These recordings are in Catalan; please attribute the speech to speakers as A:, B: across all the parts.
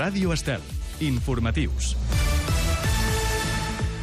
A: Ràdio Estel. Informatius.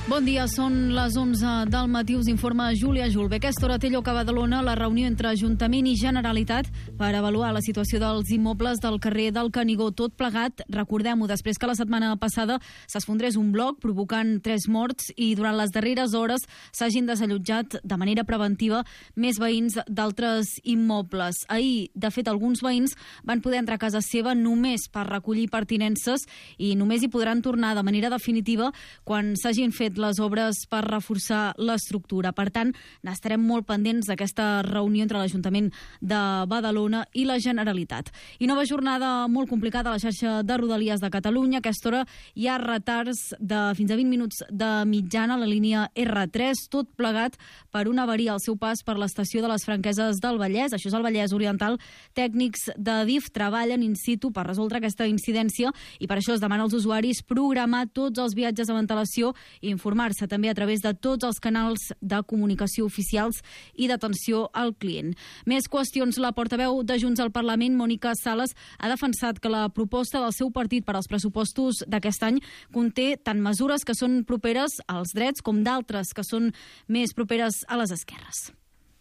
B: Bon dia, són les 11 del matí, us informa Júlia Julve. Aquesta hora té lloc a Badalona la reunió entre Ajuntament i Generalitat per avaluar la situació dels immobles del carrer del Canigó. Tot plegat, recordem-ho, després que la setmana passada s'esfondrés un bloc provocant 3 morts i durant les darreres hores s'hagin desallotjat de manera preventiva més veïns d'altres immobles. Ahir, de fet, alguns veïns van poder entrar a casa seva només per recollir pertinences i només hi podran tornar de manera definitiva quan s'hagin fet les obres per reforçar l'estructura. Per tant, n'estarem molt pendents d'aquesta reunió entre l'Ajuntament de Badalona i la Generalitat. I nova jornada molt complicada a la xarxa de Rodalies de Catalunya. A aquesta hora hi ha retards de fins a 20 minuts de mitjana a la línia R3, tot plegat per una avaria al seu pas per l'estació de les Franqueses del Vallès. Això és el Vallès Oriental. Tècnics de DIF treballen in situ per resoldre aquesta incidència i per això es demana als usuaris programar tots els viatges amb antelació i informar-se també a través de tots els canals de comunicació oficials i d'atenció al client. Més qüestions. La portaveu de Junts al Parlament, Mònica Sales, ha defensat que la proposta del seu partit per als pressupostos d'aquest any conté tant mesures que són properes als drets com d'altres que són més properes a les esquerres.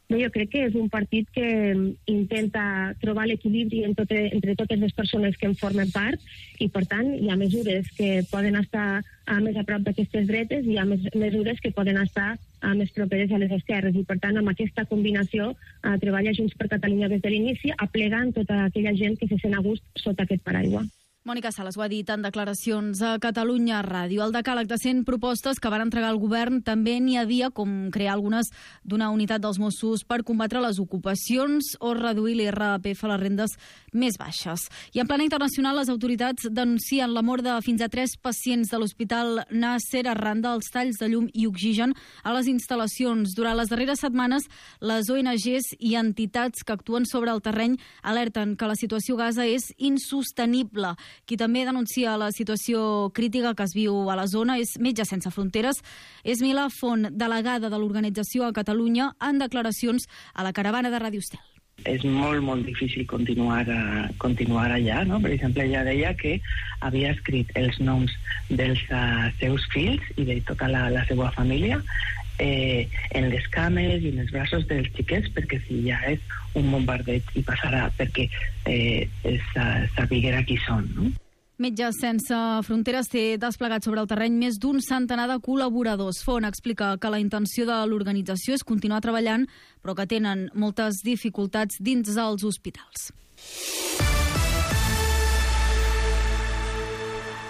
C: Jo crec que és un partit que intenta trobar l'equilibri entre totes les persones que en formen part i, per tant, hi ha mesures que poden estar més a prop d'aquestes dretes i hi ha mesures que poden estar més properes a les esquerres. I, per tant, amb aquesta combinació treballa Junts per Catalunya des de l'inici, aplegant tota aquella gent que se sent a gust sota aquest paraigua.
B: Mònica Sales ho ha dit en declaracions a Catalunya Ràdio. Al decàleg de 100 propostes que van entregar el govern també n'hi havia com crear algunes d'una unitat dels Mossos per combatre les ocupacions o reduir l'IRPF a les rendes més baixes. I en plana internacional, les autoritats denuncien la mort de fins a 3 pacients de l'Hospital Nasser arran dels talls de llum i oxigen a les instal·lacions. Durant les darreres setmanes, les ONGs i entitats que actuen sobre el terreny alerten que la situació a Gaza és insostenible. Qui també denuncia la situació crítica que es viu a la zona és Metges Sense Fronteres. És Milà Font, delegada de l'organització a Catalunya, en declaracions a la caravana de Ràdio Estel.
D: És molt difícil continuar allà, no? Per exemple, ella deia que havia escrit els noms dels seus fills i de tota la seva família en les cames i en els braços dels xiquets, perquè si ja és un bombardeig i passarà perquè sapiguera qui són, no?
B: Metges Sense Fronteres té desplegat sobre el terreny més d'un centenar de col·laboradors. Font explica que la intenció de l'organització és continuar treballant, però que tenen moltes dificultats dins els hospitals.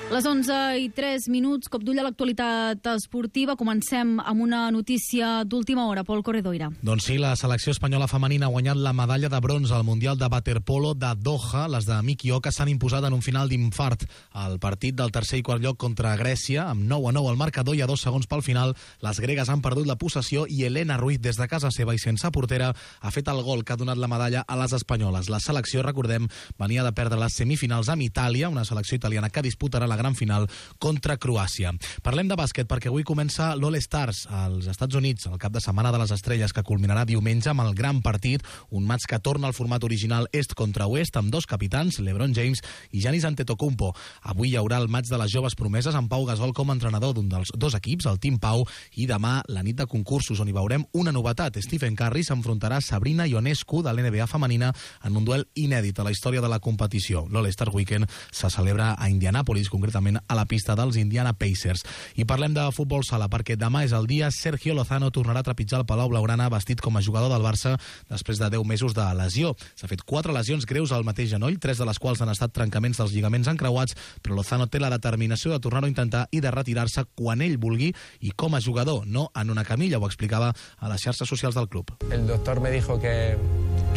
B: Les 11:03, cop d'ull a l'actualitat esportiva. Comencem amb una notícia d'última hora. Pol Corredoira.
E: Doncs sí, la selecció espanyola femenina ha guanyat la medalla de bronze al Mundial de Waterpolo de Doha. Les de Miki Oka s'han imposat en un final d'infart al partit del tercer i quart lloc contra Grècia, amb 9-9 al marcador i a 2 segons pel final. Les gregues han perdut la possessió i Elena Ruiz, des de casa seva i sense portera, ha fet el gol que ha donat la medalla a les espanyoles. La selecció, recordem, venia de perdre les semifinals amb Itàlia, una selecció italiana que disputarà la gran final contra Croàcia. Parlem de bàsquet perquè avui comença l'All Stars als Estats Units, el cap de setmana de les estrelles, que culminarà diumenge amb el gran partit, un match que torna al format original est contra oest, amb 2 capitans, LeBron James i Giannis Antetokounmpo. Avui hi haurà el match de les joves promeses amb Pau Gasol com a entrenador d'un dels 2 equips, el Team Pau, i demà la nit de concursos, on hi veurem una novetat. Stephen Curry s'enfrontarà a Sabrina Ionescu de l'NBA femenina en un duel inèdit a la història de la competició. L'All Star Weekend se celebra a Indianapolis, concretament a la pista dels Indiana Pacers. I parlem de futbol sala perquè demà és el dia. Sergio Lozano tornarà a trepitjar el Palau Blaugrana vestit com a jugador del Barça després de 10 mesos de lesió. S'ha fet 4 lesions greus al mateix genoll, 3 de les quals han estat trencaments dels lligaments encreuats, però Lozano té la determinació de tornar-ho a intentar i de retirar-se quan ell vulgui i com a jugador, no en una camilla. Ho explicava a les xarxes socials del club.
F: El doctor me dijo que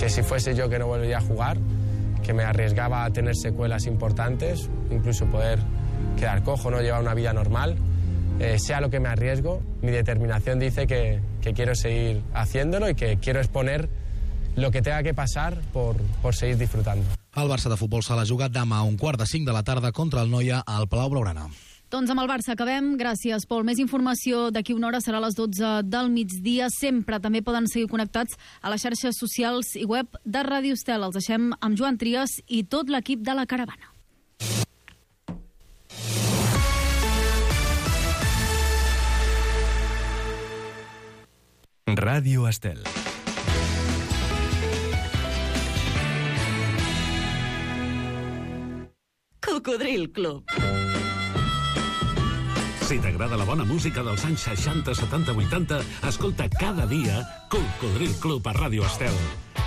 F: si fuese yo que no volvería a jugar, que me arriesgaba a tener secuelas importantes, incluso poder quedar cojo, no llevar una vida normal. Sea lo que me arriesgo, mi determinación dice que quiero seguir haciéndolo y que quiero exponer lo que tenga que pasar por seguir disfrutando.
E: El Barça de futbol sala juga demà a 4:45 de la tarda contra el Noia al Palau Blaugrana.
B: Doncs amb el Barça acabem. Gràcies, Pol. Més informació d'aquí una hora serà a les 12 del migdia. Sempre també poden seguir connectats a les xarxes socials i web de Ràdio Estel. Els deixem amb Joan Trias i tot l'equip de la caravana.
A: Ràdio Estel.
G: Cocodril Club.
H: Si t'agrada la bona música dels anys 60, 70, 80, escolta cada dia Cocodril Club a Ràdio Estel.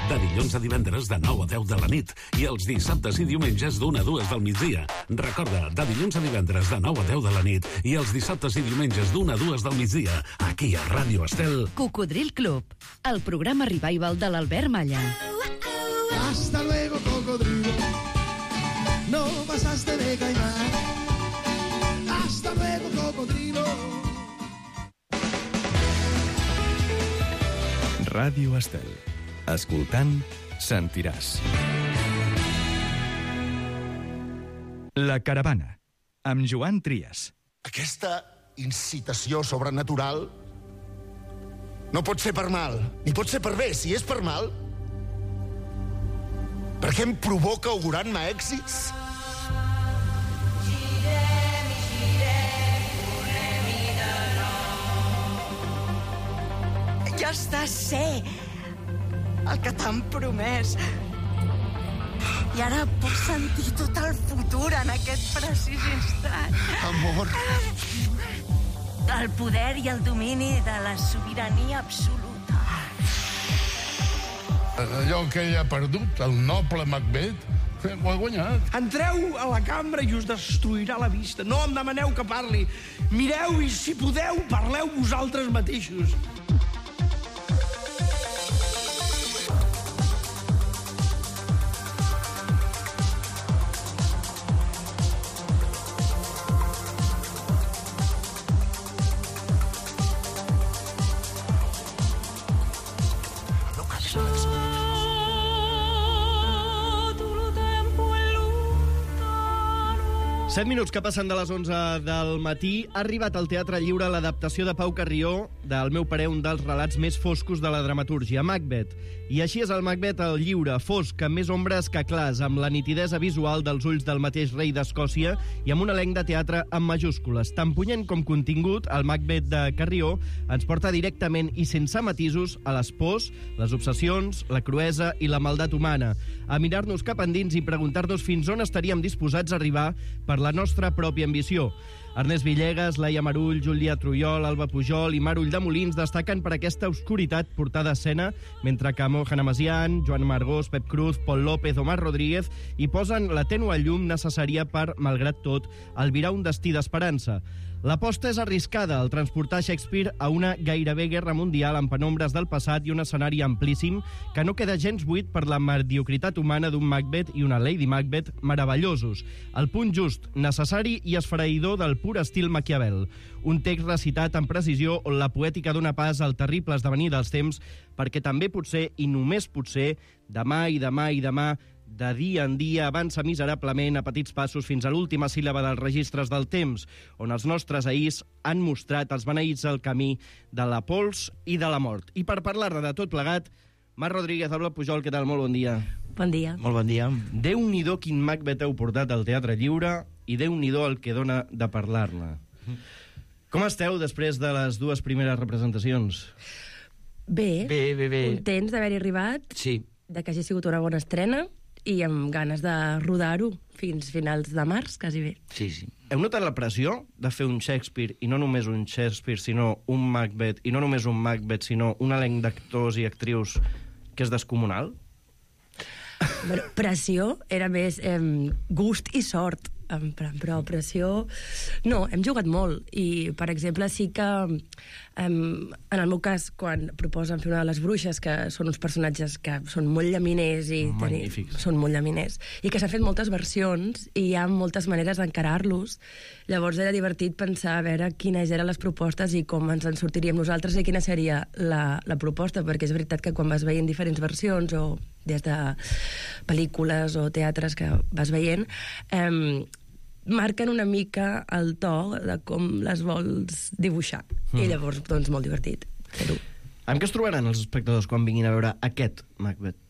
H: De dilluns a divendres de 9 a 10 de la nit i els dissabtes i diumenges d'1 a 2 del migdia. Recorda, de dilluns a divendres de 9 a 10 de la nit i els dissabtes i diumenges d'1 a 2 del migdia, aquí a Ràdio Estel.
G: Cocodril Club, el programa revival de l'Albert Malla.
I: Hasta luego, cocodrilo. No pasaste de caimán. Hasta luego, cocodrilo.
A: Ràdio Estel. Escoltant, sentiràs. La caravana, amb Joan Trias.
I: Aquesta incitació sobrenatural no pot ser per mal, ni pot ser per bé. Si és per mal, per què em provoca augurant-me èxits?
J: Ja està, sé el que t'han promès. I ara puc sentir tot el futur en aquest precís instant.
I: Amor.
J: El poder i el domini de la sobirania absoluta.
K: Allò que ell ha perdut, el noble Macbeth, ho ha guanyat.
L: Entreu a la cambra i us destruirà la vista. No em demaneu que parli. Mireu i, si podeu, parleu vosaltres mateixos.
M: Set minuts que passen de les 11 del matí. Ha arribat al Teatre Lliure l'adaptació de Pau Carrió del meu parer, un dels relats més foscos de la dramatúrgia, Macbeth. I així és el Macbeth al lliure, fosc, amb més ombres que clars, amb la nitidesa visual dels ulls del mateix rei d'Escòcia i amb un elenc de teatre amb majúscules. Tan punyent com contingut, el Macbeth de Carrió ens porta directament i sense matisos a les pors, les obsessions, la cruesa i la maldat humana, a mirar-nos cap endins i preguntar-nos fins on estaríem disposats a arribar per la nostra pròpia ambició. Ernest Villegas, Laia Marull, Júlia Trujol, Alba Pujol i Marull de Molins destaquen per aquesta obscuritat portada a escena, mentre que Mohan Amasian, Joan Margós, Pep Cruz, Pol López o Mar Rodríguez hi posen la tènue llum necessària per, malgrat tot, albirar un destí d'esperança. L'aposta és arriscada, el transportar Shakespeare a una gairebé guerra mundial amb penombres del passat i un escenari amplíssim que no queda gens buit per la mediocritat humana d'un Macbeth i una Lady Macbeth meravellosos. El punt just, necessari i esfereïdor del pur estil Maquiavel. Un text recitat amb precisió on la poètica dona pas al terrible esdevenir dels temps perquè també potser, i només potser, demà i demà i demà, de dia en dia avança miserablement a petits passos fins a l'última síl·laba dels registres del temps, on els nostres ahirs han mostrat els beneïts el camí de la pols i de la mort. I per parlar-ne de tot plegat, Mar Rodríguez, Alba Pujol, què tal? Molt bon dia.
J: Bon dia.
M: Molt bon dia. Déu-n'hi-do quin Macbeth heu portat al Teatre Lliure i Déu-n'hi-do el que dona de parlar-ne. Com esteu després de les dues primeres representacions?
N: Bé.
M: Bé.
N: Contents d'haver-hi arribat,
M: sí,
N: de que hagi sigut una bona estrena i amb ganes de rodar-ho fins finals de març, quasi bé.
M: Sí. Heu notat la pressió de fer un Shakespeare, i no només un Shakespeare, sinó un Macbeth, i no només un Macbeth, sinó un elenc d'actors i actrius que és descomunal?
N: Bueno, pressió era més gust i sort, però pressió... No, hem jugat molt, i, per exemple, sí que, en el meu cas, quan proposen fer una de les bruixes, que són uns personatges que són molt llaminers i són molt llaminers, i que s'han fet moltes versions i hi ha moltes maneres d'encarar-los, llavors era divertit pensar a veure quines eren les propostes i com ens en sortiríem nosaltres i quina seria la proposta, perquè és veritat que quan vas veient diferents versions o des de pel·lícules o teatres que vas veient, marquen una mica el to de com les vols dibuixar. I llavors, doncs, molt divertit fer-ho.
M: Amb què es trobaran els espectadors quan vinguin a veure aquest Macbeth?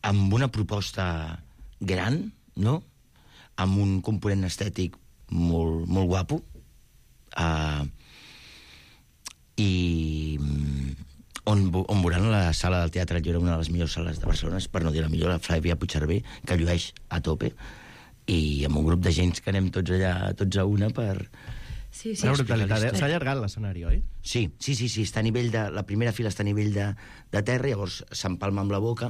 O: Amb una proposta gran, no? Amb un component estètic molt guapo. i on veuran la sala del Teatre Lliure, una de les millors sales de Barcelona, per no dir la millor, la Flàvia Puigcerver, que llueix a tope, i amb un grup de gent que anem tots allà, tots a una per...
N: Sí.
M: Una brutalitat, s'ha allargat l'escenari, oi?
O: Sí, està a nivell de... La primera fila està a nivell de terra, llavors s'empalma amb la boca.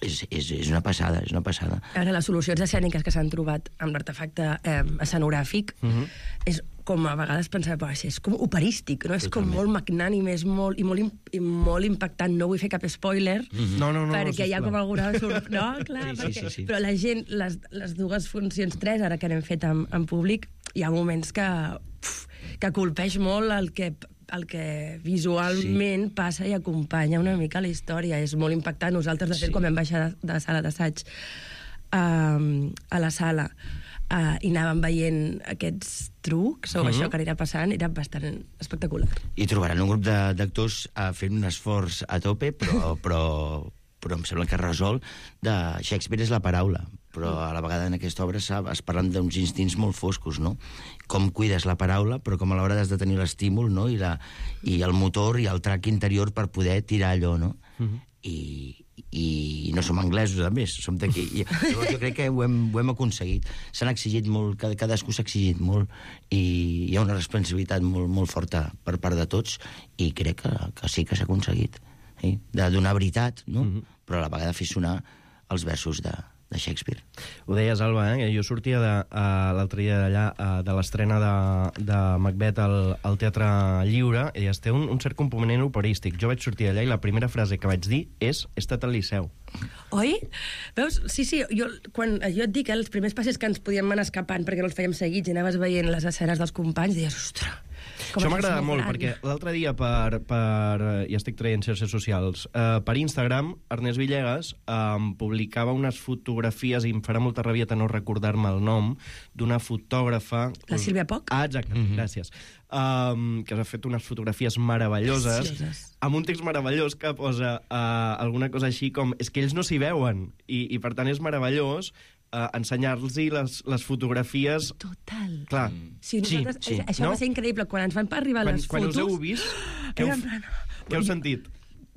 O: És una passada, és una passada.
N: Ara, les solucions escèniques que s'han trobat amb l'artefacte escenogràfic és com a vegades pensar, és com operístic, no? És com molt magnànim, és molt impactant. No vull fer cap spoiler, perquè hi ha com alguna... No, clar,
O: sí.
N: Però la gent, les dues funcions, 3, ara que n'hem fet en públic, hi ha moments que colpeix molt el que visualment passa i acompanya una mica la història. És molt impactant. Nosaltres, de fet, quan vam baixar de sala d'assaig a la sala i anàvem veient aquests trucs o això que anirà passant, era bastant espectacular.
O: I trobaran un grup d'actors fent un esforç a tope, però em sembla que resol de Shakespeare és la paraula, però a la vegada en aquesta obra es parlen d'uns instints molt foscos, no? Com cuides la paraula, però com a l'hora has de tenir l'estímul, no? I el motor i el trac interior per poder tirar allò, no? I no som anglesos, a més, som d'aquí. Llavors jo crec que ho hem aconseguit. S'han exigit molt, cadascú s'ha exigit molt, i hi ha una responsabilitat molt forta per part de tots, i crec que sí que s'ha aconseguit. De donar veritat, no? Però a la vegada fer sonar els versos de Shakespeare.
M: Ho deies, Alba, jo sortia l'altre dia d'allà de l'estrena de Macbeth al Teatre Lliure, i té un cert component operístic. Jo vaig sortir d'allà i la primera frase que vaig dir és: he estat al Liceu.
N: Oi? Veus? Sí, quan jo et dic, els primers passes que ens podíem anar escapant perquè no els fèiem seguits i anaves veient les escenes dels companys, deies, ostres,
M: això m'agrada molt, perquè l'altre dia ja estic traient xarxes socials, per Instagram, Ernest Villegas publicava unes fotografies, i em farà molta rabieta no recordar-me el nom, d'una fotògrafa...
N: La Sílvia Poch?
M: Exacte, gràcies. Que ha fet unes fotografies meravelloses, amb un text meravellós que posa alguna cosa així com és que ells no s'hi veuen, i per tant és meravellós ensenyar-los les fotografies...
N: Total.
M: Clar.
N: Sí. Això va ser increïble. Quan ens van arribar les fotos...
M: Quan us heu vist, què heu sentit?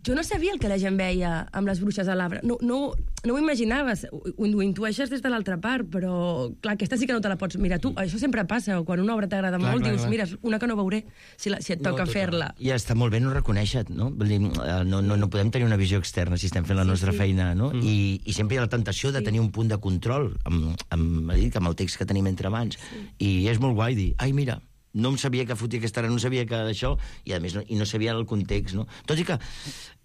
N: Jo no sabia el que la gent veia amb les bruixes a l'arbre. No ho imaginaves. Ho intueixes des de l'altra part, però, clar, aquesta sí que no te la pots mirar tu. Això sempre passa. Quan una obra t'agrada molt, dius, mira, una que no veuré si et toca fer-la.
O: I està molt bé no reconèixer, no? Vull dir, no podem tenir una visió externa si estem fent la nostra feina, no? I sempre hi ha la tentació de tenir un punt de control amb el text que tenim entre mans. I és molt guai dir, ai, mira, no em sabia que fotia aquesta hora, no sabia que això, i a més no sabia el context, no? Tot i que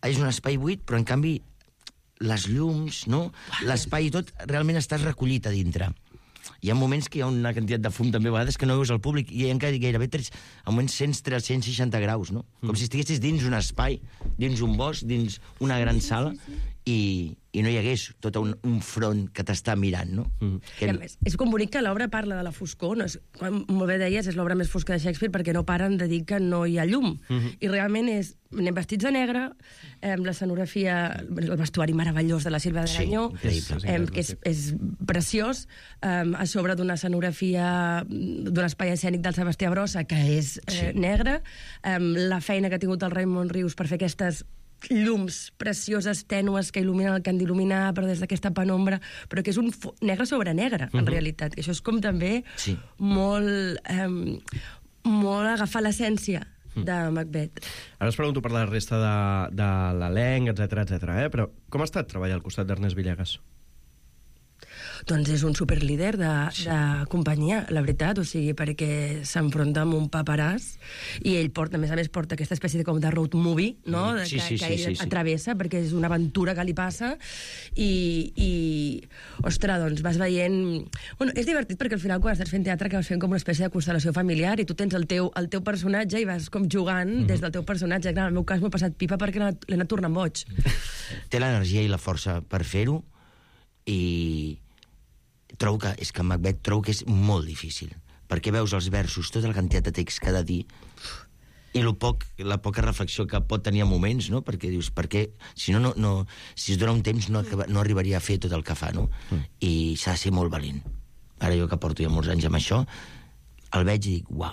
O: és un espai buit, però en canvi les llums, no? L'espai i tot, realment estàs recollit a dintre. Hi ha moments que hi ha una quantitat de fum també a vegades que no veus al públic, i hi ha gairebé a moments 160 graus, no? Com si estiguessis dins un espai, dins un bosc, dins una gran sala, i no hi hagués tot un front que t'està mirant, no?
N: I a més, és com bonic que l'obra parla de la foscor, no? Com molt bé deies, és l'obra més fosca de Shakespeare perquè no paren de dir que no hi ha llum. I realment anem vestits de negre, l'escenografia, el vestuari meravellós de la Sílvia d'Aranyó, que és preciós, a sobre d'una escenografia d'un espai escènic del Sebastià Brossa, que és negre, la feina que ha tingut el Raimon Rius per fer aquestes llums precioses, tènues, que il·luminen el que han d'il·luminar, però des d'aquesta penombra, però que és un negre sobre negre, en realitat. Això és com també molt agafar l'essència de Macbeth.
M: Ara us pregunto per la resta de l'elenc, etc. Però com ha estat treballar al costat d'Ernest Villegas?
N: Doncs és un superlíder de companyia, la veritat, o sigui, perquè s'enfronta amb un paperàs i ell porta, a més, aquesta espècie de road movie, no? Que ell atravessa, perquè és una aventura que li passa i ostres, doncs vas veient... Bueno, és divertit perquè al final quan estàs fent teatre acabes fent com una espècie de constel·lació familiar i tu tens el teu personatge i vas com jugant des del teu personatge. Clar, en el meu cas m'ho he passat pipa perquè l'he anat tornant boig.
O: Té l'energia i la força per fer-ho, i trobo que Macbeth és molt difícil, perquè veus els versos, tota la quantitat de text que ha de dir, i la poca reflexió que pot tenir a moments, no? Perquè dius, si es dona un temps no arribaria a fer tot el que fa, no? I s'ha de ser molt valent. Ara jo que porto ja molts anys amb això, el veig i dic, uau,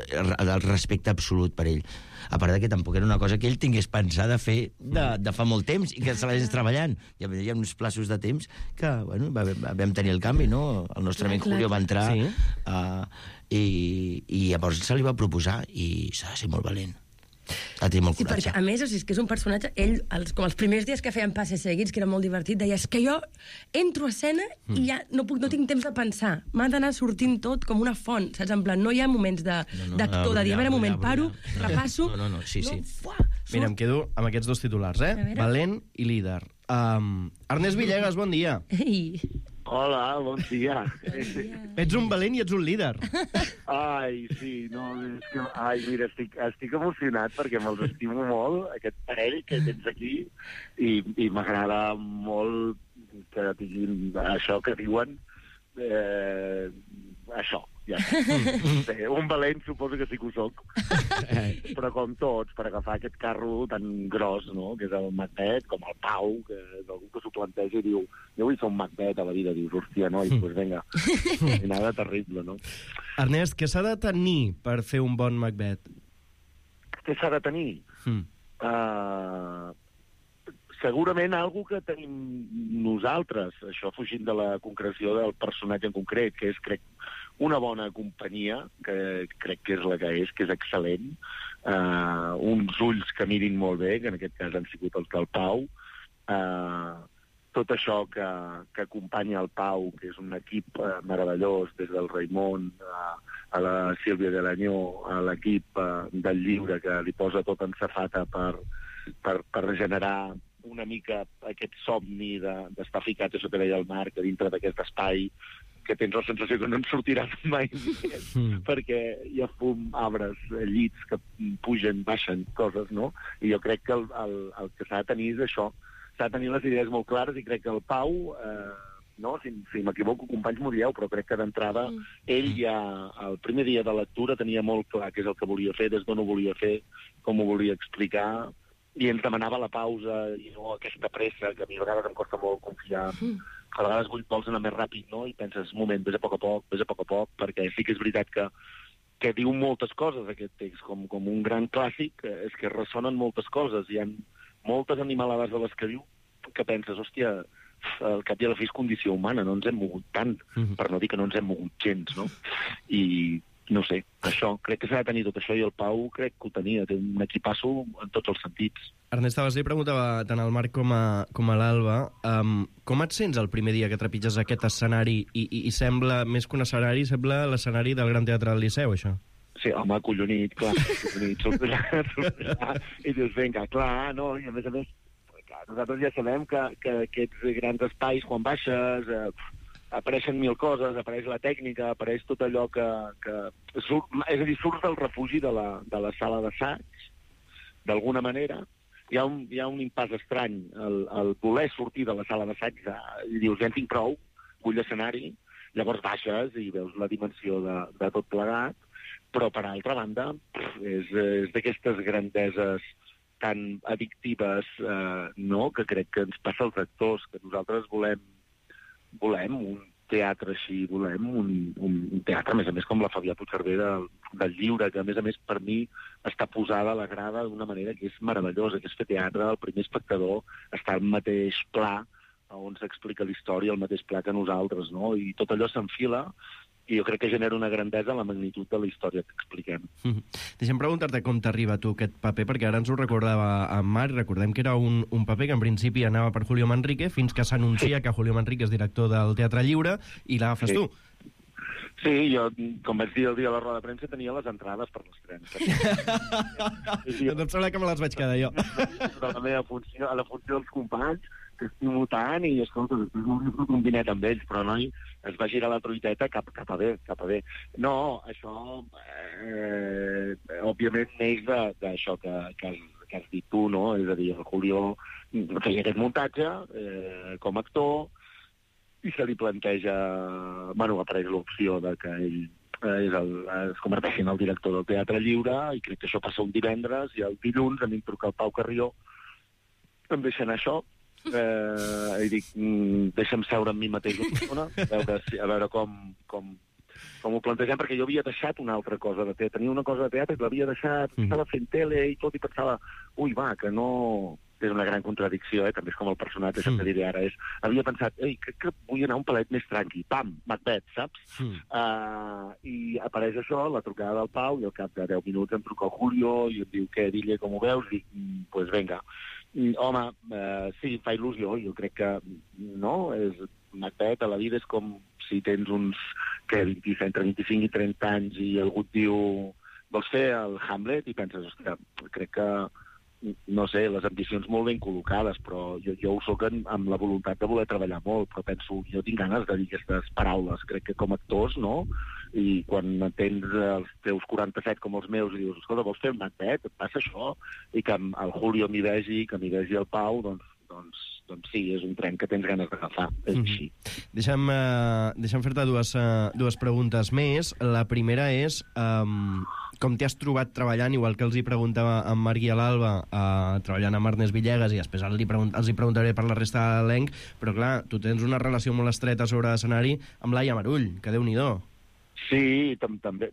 O: el respecte absolut per ell. A part que tampoc era una cosa que ell tingués pensat de fer de fa molt temps i que se l'hagués treballant. Hi havia uns plaços de temps que, bueno, vam tenir el canvi, no? El nostre amic Julio va entrar i llavors se li va proposar i s'ha de ser molt valent. Ha tingut molt coratge.
N: Perquè, a més, és que és un personatge... Ell, com els primers dies que feien passes seguits, que era molt divertit, deia, és que jo entro a escena i ja no tinc temps de pensar. M'ha d'anar sortint tot com una font, saps? En plan, no hi ha moments d'actor, de dir, a veure, moment, paro, repasso...
O: Sí.
M: Mira, em quedo amb aquests dos titulars, Valent i líder. Ernest Villegas, bon dia.
N: Ei.
P: Hola, bon dia.
M: Ets un valent i ets un líder.
P: Ai, sí, no, és que... Ai, mira, estic emocionat perquè me'ls estimo molt, aquest parell que tens aquí, i m'agrada molt que tinguin això que diuen, això, ja. Bé, un valent suposo que sí que ho soc, però com tots, per agafar aquest carro tan gros, no?, que és el Macbeth, com el Pau, que és algú que s'ho planteja i diu, jo vull ser un Macbeth a la vida, dius, hòstia, no, i doncs vinga, i nada terrible, no?
M: Ernest, què s'ha de tenir per fer un bon Macbeth?
P: Què s'ha de tenir? Segurament algo que tenim nosaltres, això fugint de la concreció del personatge en concret, que és, crec, una bona companyia, que crec que és la que és excel·lent, uns ulls que mirin molt bé, que en aquest cas han sigut els del Pau, tot això que acompanya el Pau, que és un equip meravellós, des del Raimon a la Sílvia de l'Anyó, a l'equip del llibre, que li posa tot en safata per generar una mica aquest somni d'estar ficat, això que deia el Marc, dintre d'aquest espai que tens la sensació que no en sortiràs mai més, perquè hi ha fum, arbres, llits que pugen, baixen, coses, no? I jo crec que el que s'ha de tenir és això, s'ha de tenir les idees molt clares, i crec que el Pau, no, si m'equivoco, companys m'ho dieu, però crec que d'entrada ell ja, el primer dia de lectura, tenia molt clar què és el que volia fer, des d'on ho volia fer, com ho volia explicar, i ens demanava la pausa i no aquesta pressa, que a mi a vegades em costa molt confiar. A vegades vols anar més ràpid, no? I penses, un moment, vés a poc a poc, perquè sí que és veritat que diu moltes coses, aquest text, com un gran clàssic, és que ressonen moltes coses, hi ha moltes animalades de les que diu, que penses, hòstia, al cap i a la fi és condició humana, no ens hem mogut tant, per no dir que no ens hem mogut gens, no? I no sé, això, crec que s'ha de tenir tot això, i el Pau crec que ho tenia, té un equipasso en tots els sentits.
M: Ernest, abans li preguntava tant al Marc com a l'Alba, com et sents el primer dia que trepitges aquest escenari i sembla, més que un escenari, sembla l'escenari del Gran Teatre del Liceu, això?
P: Sí, home, collonit, clar, i dius, vinga, clar, no, i a més, clar, nosaltres ja sabem que aquests grans espais, quan baixes, apareixen mil coses, apareix la tècnica, apareix tot allò que surt, és a dir, surts del refugi de la sala d'assaig, d'alguna manera. Hi ha un impàs estrany, el voler sortir de la sala d'assaig, i dius, ja en tinc prou, vull l'escenari, llavors baixes i veus la dimensió de tot plegat, però per altra banda és d'aquestes grandeses tan addictives, no?, que crec que ens passa als actors, que nosaltres volem un teatre així, volem un teatre, a més, com la Fabià Puigcerver del llibre, que a més, per mi està posada a la grada d'una manera que és meravellosa, que és fer teatre, el primer espectador està al mateix pla on s'explica la història, al mateix pla que nosaltres, no? I tot allò s'enfila, i jo crec que genera una grandesa la magnitud de la història que expliquem.
M: Deixa'm preguntar-te com t'arriba a tu aquest paper, perquè ara ens ho recordava en Marc, recordem que era un paper que en principi anava per Julio Manrique, fins que s'anuncia que Julio Manrique és director del Teatre Lliure, i l'agafes tu.
P: Sí, jo, com vaig dir el dia de la roda de premsa, tenia les entrades per l'estrena.
M: Doncs em sembla que me les vaig quedar jo.
P: A la funció dels companys, que estimo tant, i escolta, després m'hauria fet un dinet amb ells, però noi, es va girar la truiteta cap a bé. No, això, òbviament, neix d'això que has dit tu, no? És a dir, el Julio feia aquest muntatge com a actor, i se li planteja, bueno, apareix l'opció de que ell es converteixi en el director del Teatre Lliure, i crec que això passa un divendres, i el dilluns a mi em truca el Pau Carrió, em deixa anar això, i dic, deixa'm seure amb mi mateix una estona, a veure com ho plantegem, perquè jo havia deixat una altra cosa de teatre. Tenia una cosa de teatre i l'havia deixat, estava fent tele i tot, i pensava, ui, va, que no... És una gran contradicció, també és com el personatge que te diré ara. Havia pensat, ei, crec que vull anar un palet més tranqui. Pam, Macbeth, saps? I apareix això, la trucada del Pau, i al cap de 10 minuts em truca el Julio i em diu, què, Dille, com ho veus? I dic, pues venga. Home, sí, fa il·lusió. Jo crec que, no, Macbeth a la vida és com si tens uns, entre 25 i 30 anys i algú et diu, vols fer el Hamlet? I penses, ostres, crec que no sé, les ambicions molt ben col·locades, però jo ho soc amb la voluntat de voler treballar molt, però penso, jo tinc ganes de dir aquestes paraules, crec que com a actors, no? I quan tens els teus 47 com els meus i dius, escolta, vols fer un Macbeth? Et passa això? I que el Julio m'hi vegi, que m'hi vegi el Pau, doncs sí, és un tren que tens ganes d'agafar, és així.
M: Deixa'm fer-te dues preguntes més. La primera és com t'hi has trobat treballant, igual que els hi preguntava en Marc i a l'Alba, treballant amb Ernest Villegas, i després els hi preguntaré per la resta de l'elenc, però clar, tu tens una relació molt estreta sobre escenari amb Laia Marull, que Déu-n'hi-do.
P: Sí, també,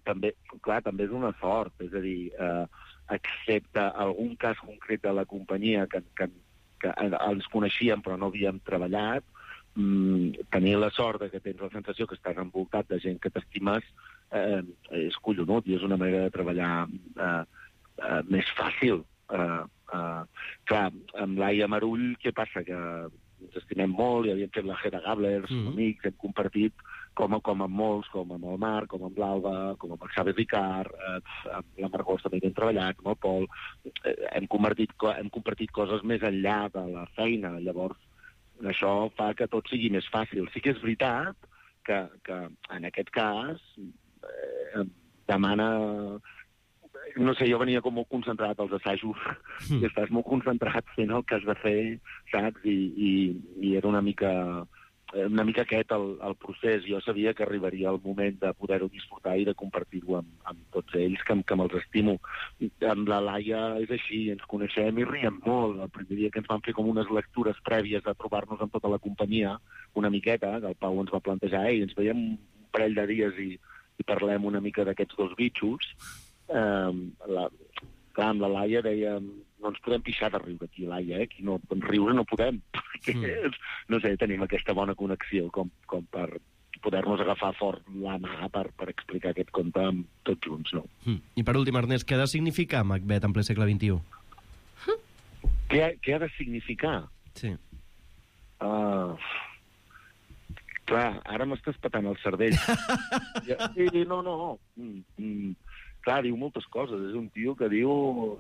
P: clar, també és una sort, és a dir, excepte algun cas concret de la companyia que ens coneixíem però no havíem treballat, tenir la sort que tens la sensació que estàs envoltat de gent que t'estimes és collonut i és una manera de treballar més fàcil. Clar, amb Laia Marull, què passa? Que ens estimem molt i havíem fet la Hedda Gabler, som amics, hem compartit com amb molts, com amb el Marc, com amb l'Alba, com amb el Xavi Ricard, amb la Margot també hem treballat, amb el Pol, hem compartit coses més enllà de la feina, llavors això fa que tot sigui més fàcil. Sí que és veritat que en aquest cas demana... No sé, jo venia com molt concentrat als assajos, i estàs molt concentrat fent el que has de fer, saps? I era una mica aquest el procés. Jo sabia que arribaria el moment de poder-ho disfrutar i de compartir-ho amb tots ells, que me'ls estimo. Amb la Laia és així, ens coneixem i riem molt. El primer dia que ens van fer com unes lectures prèvies a trobar-nos amb tota la companyia, una miqueta, que el Pau ens va plantejar, i ens veiem un parell de dies i parlem una mica d'aquests dos bitxos. Clar, amb la Laia dèiem, no ens podem pixar de riure aquí, Laia, aquí no, riure no podem, perquè, no sé, tenim aquesta bona connexió com per poder-nos agafar fort la mà per explicar aquest conte amb tots junts, no?
M: I per últim, Ernest, què ha de significar Macbeth en ple segle XXI?
P: Què ha de significar?
M: Sí.
P: Clar, ara m'estàs patant el cervell. No. Clar, diu moltes coses. És un tio que diu,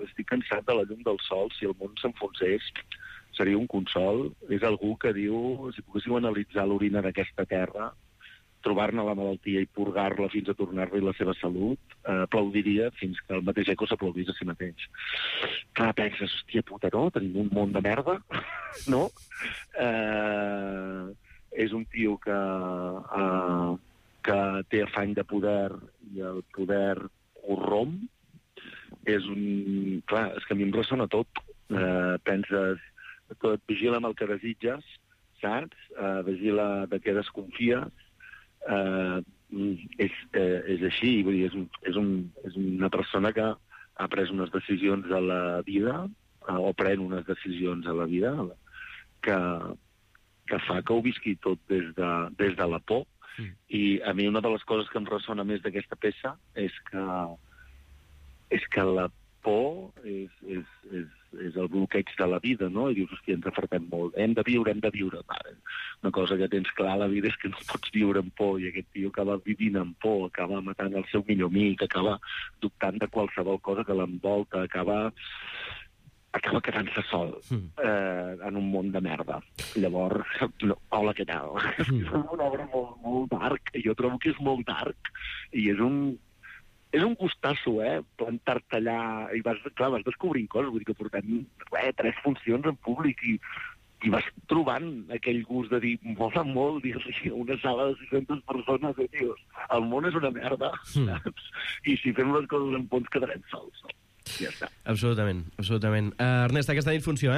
P: estic cansat de la llum del sol, si el món s'enfonsés seria un consol. És algú que diu, si poguéssiu analitzar l'orina d'aquesta terra, trobar-ne la malaltia i purgar-la fins a tornar-li la seva salut, aplaudiria fins que el mateix eco s'aplaudís a si mateix. Clar, penses, hòstia puta, no? Tenim un món de merda, no? És un tio que té afany de poder i el poder corromp. Clar, és que a mi em ressona tot. Penses, tot, vigila amb el que desitges, saps? Vigila de què desconfies. És així, vull dir, és una persona que ha pres unes decisions a la vida, o pren unes decisions a la vida, que fa que ho visqui tot des de la por. I a mi una de les coses que em ressona més d'aquesta peça és que la por és el bloqueig de la vida, no? I dius, hòstia, ens afartem molt. Hem de viure. Una cosa que tens clar a la vida és que no pots viure amb por, i aquest tio acaba vivint amb por, acaba matant el seu millor amic, acaba dubtant de qualsevol cosa que l'envolta, acaba quedant-se sol en un món de merda. Llavors, hola, què tal? És una obra molt dark. Jo trobo que és molt dark i és un gustasso, plantar-te allà i vas descobrint coses. Vull dir que portem 3 funcions en públic i vas trobant aquell gust de dir, mola molt dir-li a una sala de 600 persones, tios, el món és una merda, saps? I si fem les coses en fons quedarem sols, no? Ja està.
M: Absolutament. Ernest, aquesta nit funció,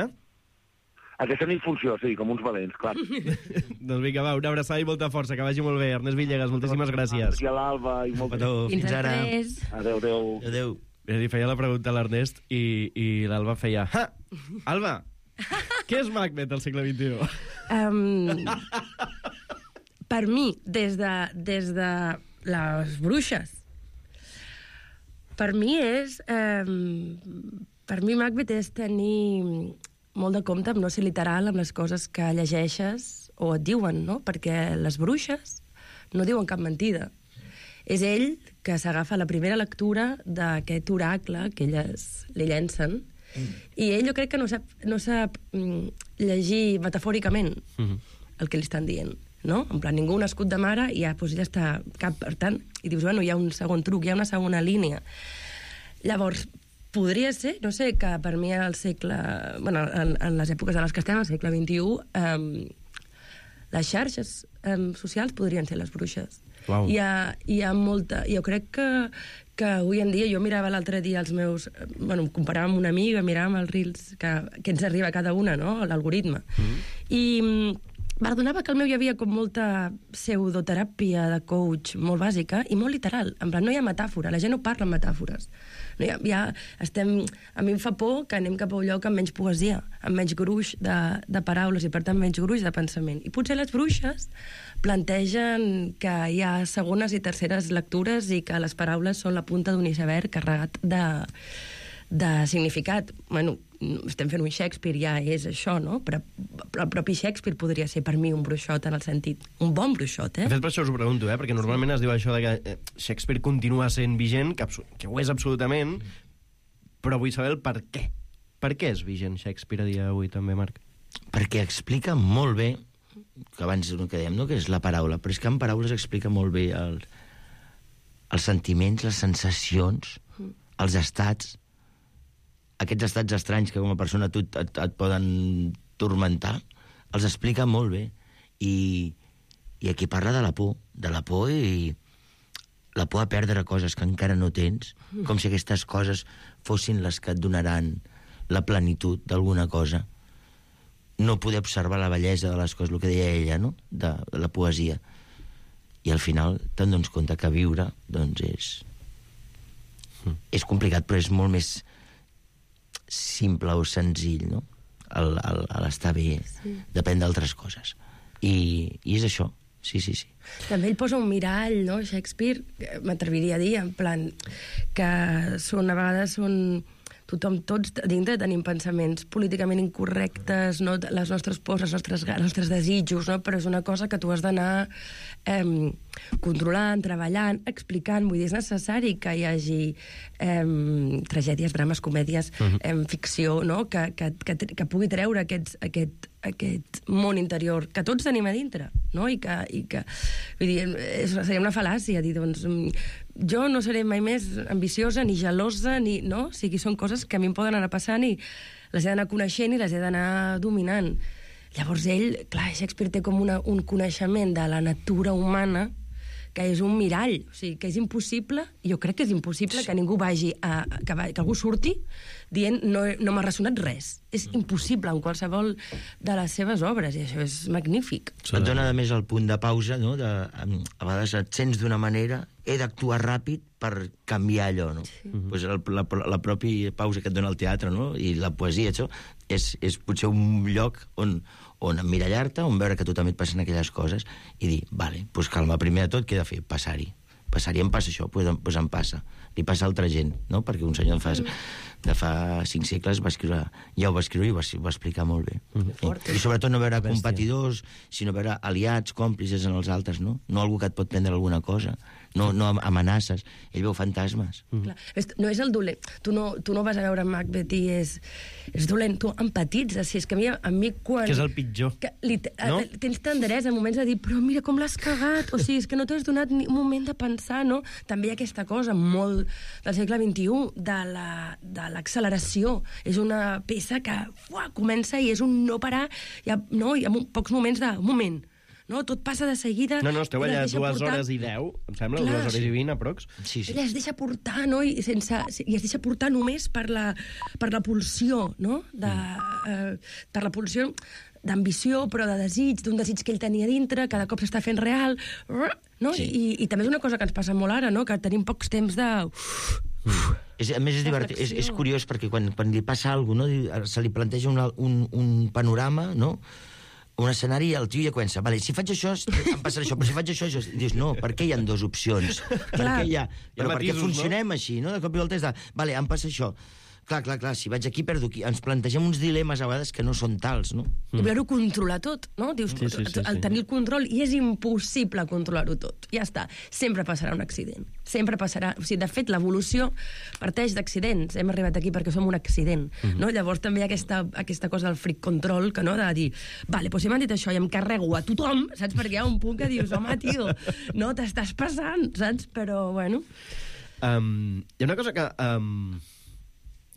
P: Aquesta nit funció, sí, com uns valents, clar.
M: Doncs vinga, va, una abraçada i molta força, que vagi molt bé. Ernest Villegas, moltíssimes gràcies.
P: I a l'Alba, i molt bé.
N: Fins ara.
P: Adéu.
O: Adéu.
M: Li feia la pregunta a l'Ernest i l'Alba feia... Ha! Alba, què és Macbeth al segle XXI?
N: Per mi, des de les bruixes, per mi Macbeth és tenir molt de compte amb no ser literal amb les coses que llegeixes o et diuen, no? Perquè les bruixes no diuen cap mentida. És ell que s'agafa la primera lectura d'aquest oracle que elles li llencen i ell jo crec que no sap llegir metafòricament el que li estan dient, no? En plan, ningú nascut de mare i ja, doncs ella està cap, per tant, i dius, bueno, hi ha un segon truc, hi ha una segona línia. Llavors, podria ser, no sé, que per mi al segle... Bueno, en les èpoques en les que estem, al segle XXI, les xarxes socials podrien ser les bruixes.
M: Wow.
N: Hi ha molta... Jo crec que avui en dia, jo mirava l'altre dia els meus... Bueno, em comparava amb una amiga, miràvem els reels que ens arriba a cada una, no?, l'algoritme. I m'adonava que el meu hi havia com molta pseudoteràpia de coach molt bàsica i molt literal. En plan, no hi ha metàfora, la gent no parla en metàfores. No a mi em fa por que anem cap a un lloc amb menys poesia, amb menys gruix de paraules i, per tant, menys gruix de pensament. I potser les bruixes plantegen que hi ha segones i terceres lectures i que les paraules són la punta d'un iceberg carregat de significat. Bueno, estem fent un Shakespeare, ja és això, no? Però el propi Shakespeare podria ser per mi un bruixot en el sentit, un bon bruixot,
M: De fet, per això us ho pregunto, perquè normalment es diu això de que Shakespeare continua sent vigent, que ho és absolutament, però vull saber el per què. Per què és vigent Shakespeare a dia d'avui, també, Marc?
O: Perquè explica molt bé, que abans que dèiem, no?, que és la paraula, però és que en paraules explica molt bé els sentiments, les sensacions, els estats, aquests estats estranys que com a persona et poden turmentar, els explica molt bé. I aquí parla de la por i la por a perdre coses que encara no tens, com si aquestes coses fossin les que et donaran la plenitud d'alguna cosa. No poder observar la bellesa de les coses, el que deia ella, no?, de la poesia. I al final te'n dones compte que viure, doncs, és complicat, però és molt més simple o senzill, no?, l'estar bé, depèn d'altres coses. I és això, sí.
N: També ell posa un mirall, no?, Shakespeare, m'atreviria a dir, en plan, que a vegades són... Tots dintre tenim pensaments políticament incorrectes, no? Les nostres pors, els nostres desitjos, no? Però és una cosa que tu has d'anar controlant, treballant, explicant. Vull dir, és necessari que hi hagi tragèdies, drames, comèdies, ficció, no?, que pugui treure aquest món interior que tots tenim a dintre, no? I que vull dir, seria una fal·làcia dir, doncs, jo no seré mai més ambiciosa ni gelosa, no? O sigui, són coses que a mi em poden anar passant i les he d'anar coneixent i les he d'anar dominant. Llavors ell, clar, Shakespeare té com un coneixement de la natura humana que és un mirall, o sigui, que és impossible, jo crec que és impossible que ningú que algú surti dient no m'ha ressonat res. És impossible en qualsevol de les seves obres, i això és magnífic.
O: Et dona, a més, el punt de pausa, no? A vegades et sents d'una manera, he d'actuar ràpid per canviar allò, no? Pues la pròpia pausa que et dona el teatre, no?, i la poesia, això, és potser un lloc on emmirallar-te, on veure que a tu també et passen aquelles coses i dir, vale, doncs calma, primer de tot, què he de fer? Passar-hi, em passa això, doncs em passa. Li passa a altra gent, no? Perquè un senyor de fa 5 segles ja ho va escriure i ho va explicar molt bé. I sobretot no veure competidors, sinó veure aliats, còmplices en els altres, no? No algú que et pot prendre alguna cosa, no amenaces. Ell veu fantasmes.
N: No és el dolent. Tu no vas a veure Macbeth i és dolent. Tu empatitzes. Si és que a mi quan...
M: Que és el pitjor.
N: Tens tendresa en moments de dir, però mira com l'has cagat. O sigui, és que no t'has donat ni un moment de pensar, no? També hi ha aquesta cosa molt del segle XXI, de l'acceleració. És una peça que comença i és un no parar. Hi ha pocs moments de... Un moment. no? Tot passa de seguida.
M: No, esteu allà 2
N: portar...
M: hores i 10, em sembla,
N: Clar,
M: 2 hores i 20, aprox.
N: Sí. Ella es deixa portar, no? I es deixa portar només per la pulsió, no? Per la pulsió d'ambició, però de desig, d'un desig que ell tenia dintre, cada cop s'està fent real, no?
O: Sí.
N: I també és una cosa que ens passa molt ara, no? Que tenim pocs temps de...
O: A més, és divertit, és curiós, perquè quan li passa alguna cosa, no? Se li planteja un panorama, no? Un escenari i el tio ja comença, vale, si faig això, em passarà això, però si faig això, dius, no, per què hi ha 2 opcions? Però perquè funcionem així, no? De cop i volta és de, vale, em passa això. Clar, si vaig aquí, perdo aquí. Ens plantegem uns dilemes a vegades que no són tals, no?
N: I voler-ho controlar tot, no? Dius, tenir el control, i és impossible controlar-ho tot. Ja està. Sempre passarà un accident. Sempre passarà... O sigui, de fet, l'evolució parteix d'accidents. Hem arribat aquí perquè som un accident, no? Llavors també hi ha aquesta cosa del freak control, que no? De dir, vale, doncs si m'han dit això i em carrego a tothom, saps? Perquè hi ha un punt que dius, home, tio, no, t'estàs passant, saps? Però, bueno...
M: Hi ha una cosa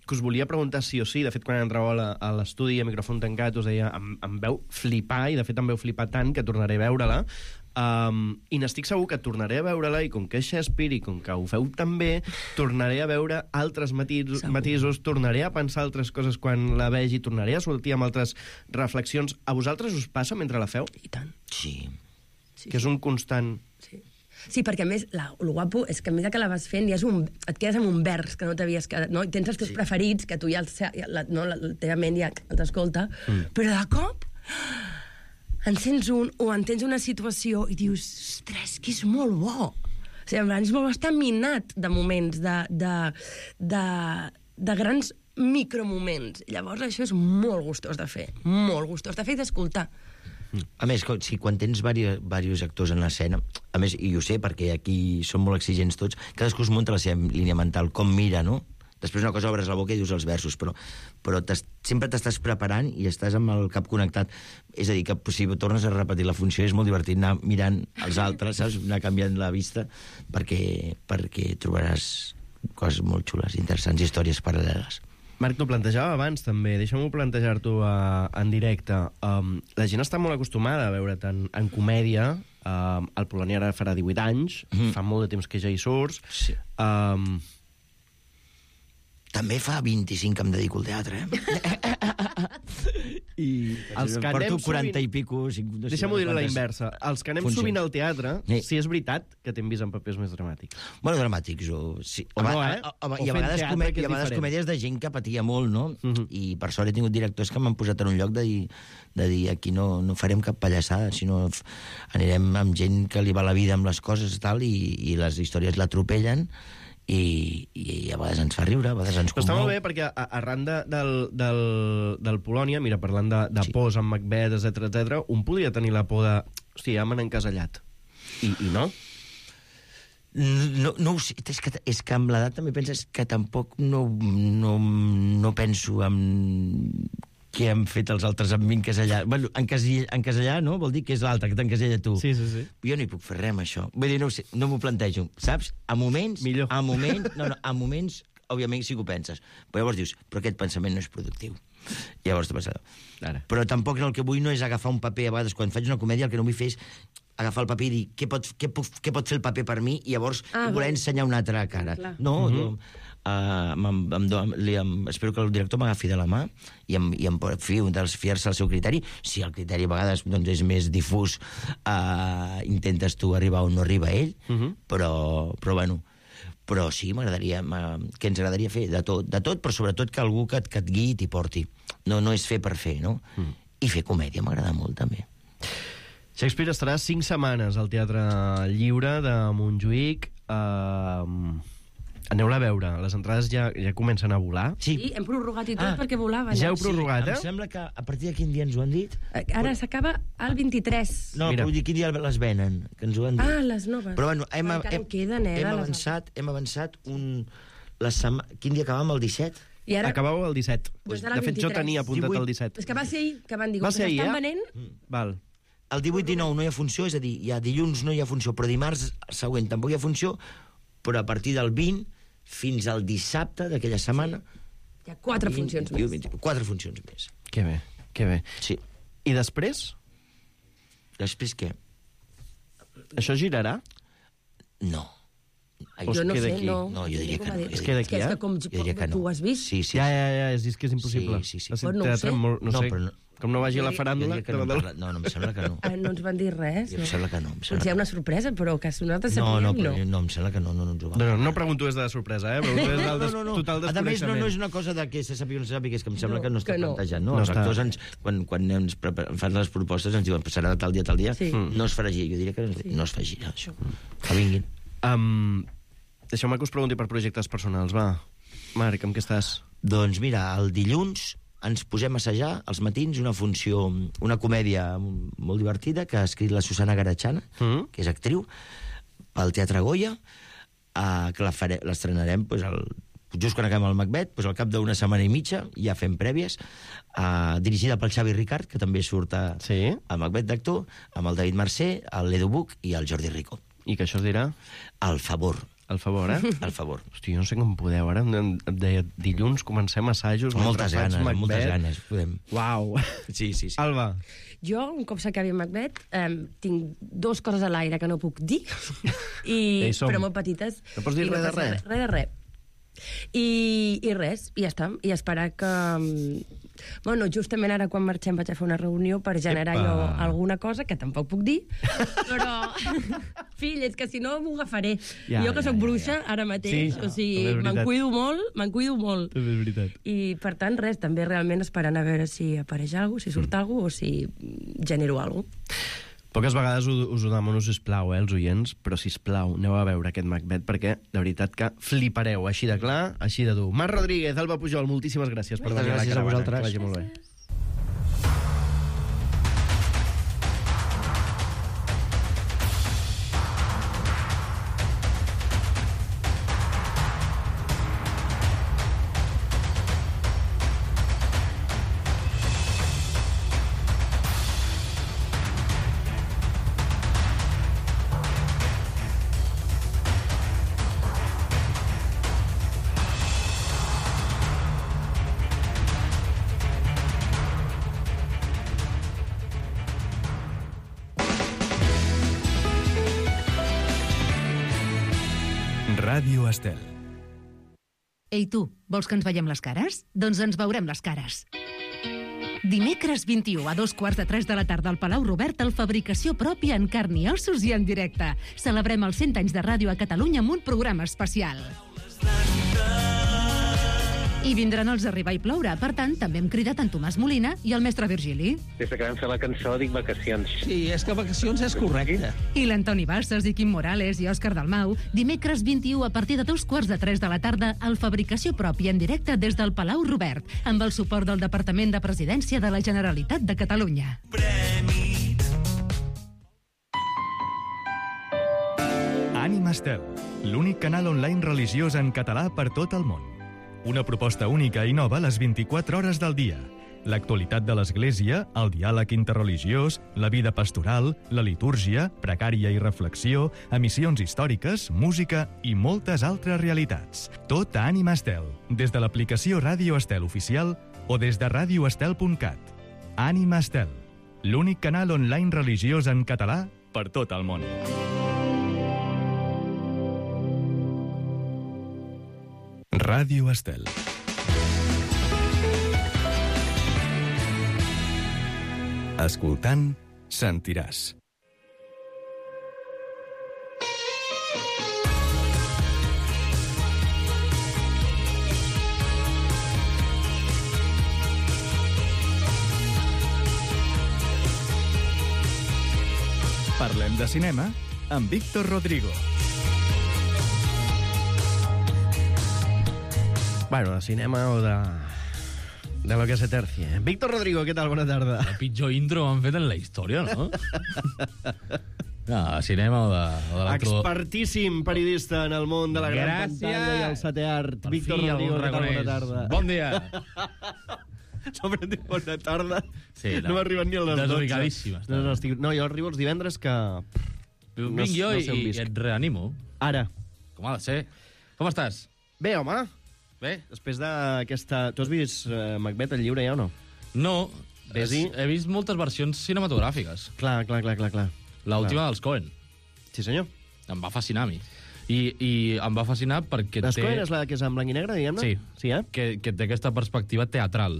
M: que us volia preguntar sí o sí. De fet, quan entrau a l'estudi a micròfon tancat us deia, em veu flipar, i de fet em veu flipar tant que tornaré a veure-la, i n'estic segur que tornaré a veure-la, i com que és Shakespeare i com que ho feu tan bé, tornaré a veure altres matisos, tornaré a pensar altres coses quan la vegi, tornaré a sortir amb altres reflexions. A vosaltres us passa mentre la feu?
N: I tant.
O: Sí.
M: Que és un constant...
N: Sí, perquè a més, el guapo és que a mesura que la vas fent et quedes amb un vers que no t'havies quedat, no? I tens els teus preferits, que tu ja la teva ment ja t'escolta, però de cop encens un o entens una situació i dius, ostres, que és molt bo. O sigui, és molt estar minat de moments, de grans micromoments. Llavors això és molt gustós de fer, i d'escoltar.
O: A més, quan tens diversos actors en l'escena, a més, i ho sé perquè aquí són molt exigents tots, cadascú es munta la seva línia mental, com mira, no? Després una cosa obres la boca i dius els versos, però sempre t'estàs preparant i estàs amb el cap connectat. És a dir, que si tornes a repetir la funció és molt divertit anar mirant els altres, saps? Anar canviant la vista perquè trobaràs coses molt xules, interessants, històries paral·leles.
M: Marc, t'ho plantejava abans, també. Deixa'm-ho plantejar-t'ho en directe. La gent està molt acostumada a veure tant en comèdia. El Polònia ara farà 18 anys, fa molt de temps que ja hi surts.
O: Sí. També fa 25 que em dedico al teatre, I els que porto 40 i pico...
M: Deixa'm-ho dir a la inversa. Els que anem sovint al teatre, sí és veritat que t'hem vist en papers més dramàtics.
O: Bueno, dramàtics, sí. I a vegades comèdies de gent que patia molt, no? I per sort he tingut directors que m'han posat en un lloc de dir aquí no farem cap pallassada, sinó anirem amb gent que li va la vida amb les coses i les històries l'atropellen, i a vegades ens fa riure, a vegades ens commou.
M: Però està molt bé, perquè arran del Polònia, mira, parlant de pors amb Macbeth, etc, un podria tenir la por de... Hòstia, ja m'han encasellat. I no?
O: No ho sé, és que amb l'edat també penses que tampoc no penso en què han fet els altres amb mi encasellar. Bueno, encasellar, no? Vol dir que és l'altre que t'encasella tu.
M: Sí.
O: Jo no hi puc fer res amb això. Vull dir, no ho sé, no m'ho plantejo, saps? A moments, òbviament sí que ho penses. Però llavors dius, però aquest pensament no és productiu. I llavors t'ho penses. Però tampoc el que vull no és agafar un paper. A vegades, quan faig una comèdia, el que no vull fer és agafar el paper i dir què pot fer el paper per mi i llavors voler ensenyar una altra cara. No, espero que el director m'agafi de la mà i em fiar-se al seu criteri. Si el criteri a vegades és més difús, intentes tu arribar on no arriba ell, però bueno, però sí, que ens agradaria fer de tot, però sobretot que algú que et guiï i t'hi porti. No és fer per fer, no? I fer comèdia m'agrada molt, també.
M: Shakespeare estarà 5 setmanes al Teatre Lliure de Montjuïc. Aneu-la a veure. Les entrades ja comencen a volar.
N: Sí, hem prorrogat i tot perquè volava.
M: Ja heu prorrogat,
O: Em sembla que a partir de quin dia ens ho han dit?
N: Ara s'acaba el 23.
O: No, però vull dir, quin dia les venen, que ens ho han dit.
N: Les noves.
O: Però bueno, hem avançat quin dia acabàvem, el 17?
M: Acabàveu el 17. De fet, jo tenia apuntat el 17.
N: És que va ser ahir que van dir que s'estan venent.
M: Val.
O: El 18-19 no hi ha funció, és a dir, ja dilluns no hi ha funció, però dimarts següent tampoc hi ha funció, però a partir del 20 fins al dissabte d'aquella setmana...
N: Hi ha 4 funcions més.
O: 4 funcions més.
M: Que bé.
O: Sí.
M: I després?
O: Després què?
M: Això girarà?
O: No.
N: Jo no sé, no.
O: No, jo diria que no.
M: Es queda aquí,
N: és que com tu has vist.
O: Sí.
M: Ja, és que és impossible.
O: Sí.
N: No ho sé.
M: No sé, com no vagi a la faràndula...
O: No, em sembla que no.
N: No ens van dir res.
O: Em sembla que no.
N: Potser hi ha una sorpresa, però que nosaltres sapiguem, no.
O: No, em sembla que no ens ho van.
M: No pregunto des de la sorpresa, Pregunto des del total desconeixement.
O: A més, no és una cosa de que se sàpiga o no se sàpiga, és que em sembla que no està plantejat.
M: No
O: els actors, quan ens fan les propostes, ens diuen passarà de tal dia, no es farà gira. Jo diria que no es fa gira, això. Que vinguin.
M: Deixeu-me que us pregunti per projectes personals, va. Marc, amb què estàs?
O: Doncs mira, el dilluns ens posem a assajar als matins una comèdia molt divertida que ha escrit la Susana Garachana, que és actriu, pel Teatre Goya, que l'estrenarem just quan acabem el Macbeth, al cap d'una setmana i mitja, ja fem prèvies, dirigida pel Xavi Ricard, que també surt a Macbeth d'actor, amb el David Mercè, l'Edu Buch i el Jordi Rico.
M: I que això es dirà?
O: El favor.
M: El favor,
O: El favor.
M: Hosti, jo no sé com podeu, ara em deia, dilluns comencem assajos...
O: Moltes ganes, podem.
M: Uau!
O: Sí.
M: Alba.
N: Jo, un cop s'acabi Macbeth, tinc 2 coses a l'aire que no puc dir, però molt petites.
M: No pots dir res de res?
N: Res de res. I res, i ja està. I esperar que... Bueno, justament ara quan marxem vaig a fer una reunió per generar jo alguna cosa, que tampoc puc dir, però... Fill, és que si no m'ho agafaré. Jo que soc bruixa ara mateix, o sigui, me'n cuido molt.
M: És veritat.
N: I, per tant, res, també realment esperant a veure si apareix alguna cosa, si surt alguna cosa, o si genero alguna cosa.
M: Poques vegades us ho demano, sisplau, els oients, però sisplau, aneu a veure aquest Macbeth, perquè de veritat que flipareu, així de clar, així de dur. Marc Rodríguez, Alba Pujol, moltíssimes gràcies per venir a la caravana. Que vagi molt bé.
A: Ràdio Estel.
Q: Ei, tu, vols que ens veiem les cares? Doncs ens veurem les cares. Dimecres 21 a 2:15 de la tarda al Palau Robert, el Fabricació Pròpia en carn i ossos i en directe. Celebrem els 100 anys de ràdio a Catalunya amb un programa especial. I vindran els Arribar i Ploure. Per tant, també hem cridat en Tomàs Molina i el mestre Virgili.
R: Des que vam fer la cançó dic vacacions.
S: Sí, és que vacacions és correcte.
Q: I l'Antoni Bassas i Quim Morales i Òscar Dalmau. Dimecres 21 a partir de 2:15 de la tarda al Fabricació Pròpia en directe des del Palau Robert, amb el suport del Departament de Presidència de la Generalitat de Catalunya.
A: Ànima Estel, l'únic canal online religiós en català per tot el món. Una proposta única i nova les 24 hores del dia. L'actualitat de l'Església, el diàleg interreligiós, la vida pastoral, la litúrgia, precària i reflexió, emissions històriques, música i moltes altres realitats. Tot a Ànima Estel, des de l'aplicació Ràdio Estel Oficial o des de radioestel.cat. Ànima Estel, l'únic canal online religiós en català per tot el món. Ràdio Estel. Escoltant, sentiràs. Parlem de cinema amb Víctor Rodrigo.
M: Bueno, de cinema o de lo que se tercie. Víctor Rodrigo, què tal? Bona tarda.
S: El pitjor intro han fet en la història, no? No, cinema o de l'altre...
M: Expertíssim periodista en el món de la gran pantalla i el sate art. Víctor Rodrigo, què tal? Bona tarda.
S: Bon dia.
M: Sobre dit bona tarda.
S: Sí,
M: no m'arriben ni a les 12.
S: Desubicadíssim.
M: No, jo arribo els divendres que...
S: Vinc jo i et reanimo.
M: Ara.
S: Com ha de ser. Com estàs?
M: Bé, home.
S: Bé.
M: Després d'aquesta... Tu has vist Macbeth, el llibre, ja o no?
S: No. He vist moltes versions cinematogràfiques.
M: Clar.
S: L'última dels Coen.
M: Sí, senyor.
S: Em va fascinar a mi. I em va fascinar perquè
M: Les Coen és la que és en blanc i negre, diguem-ne?
S: Sí, que té aquesta perspectiva teatral.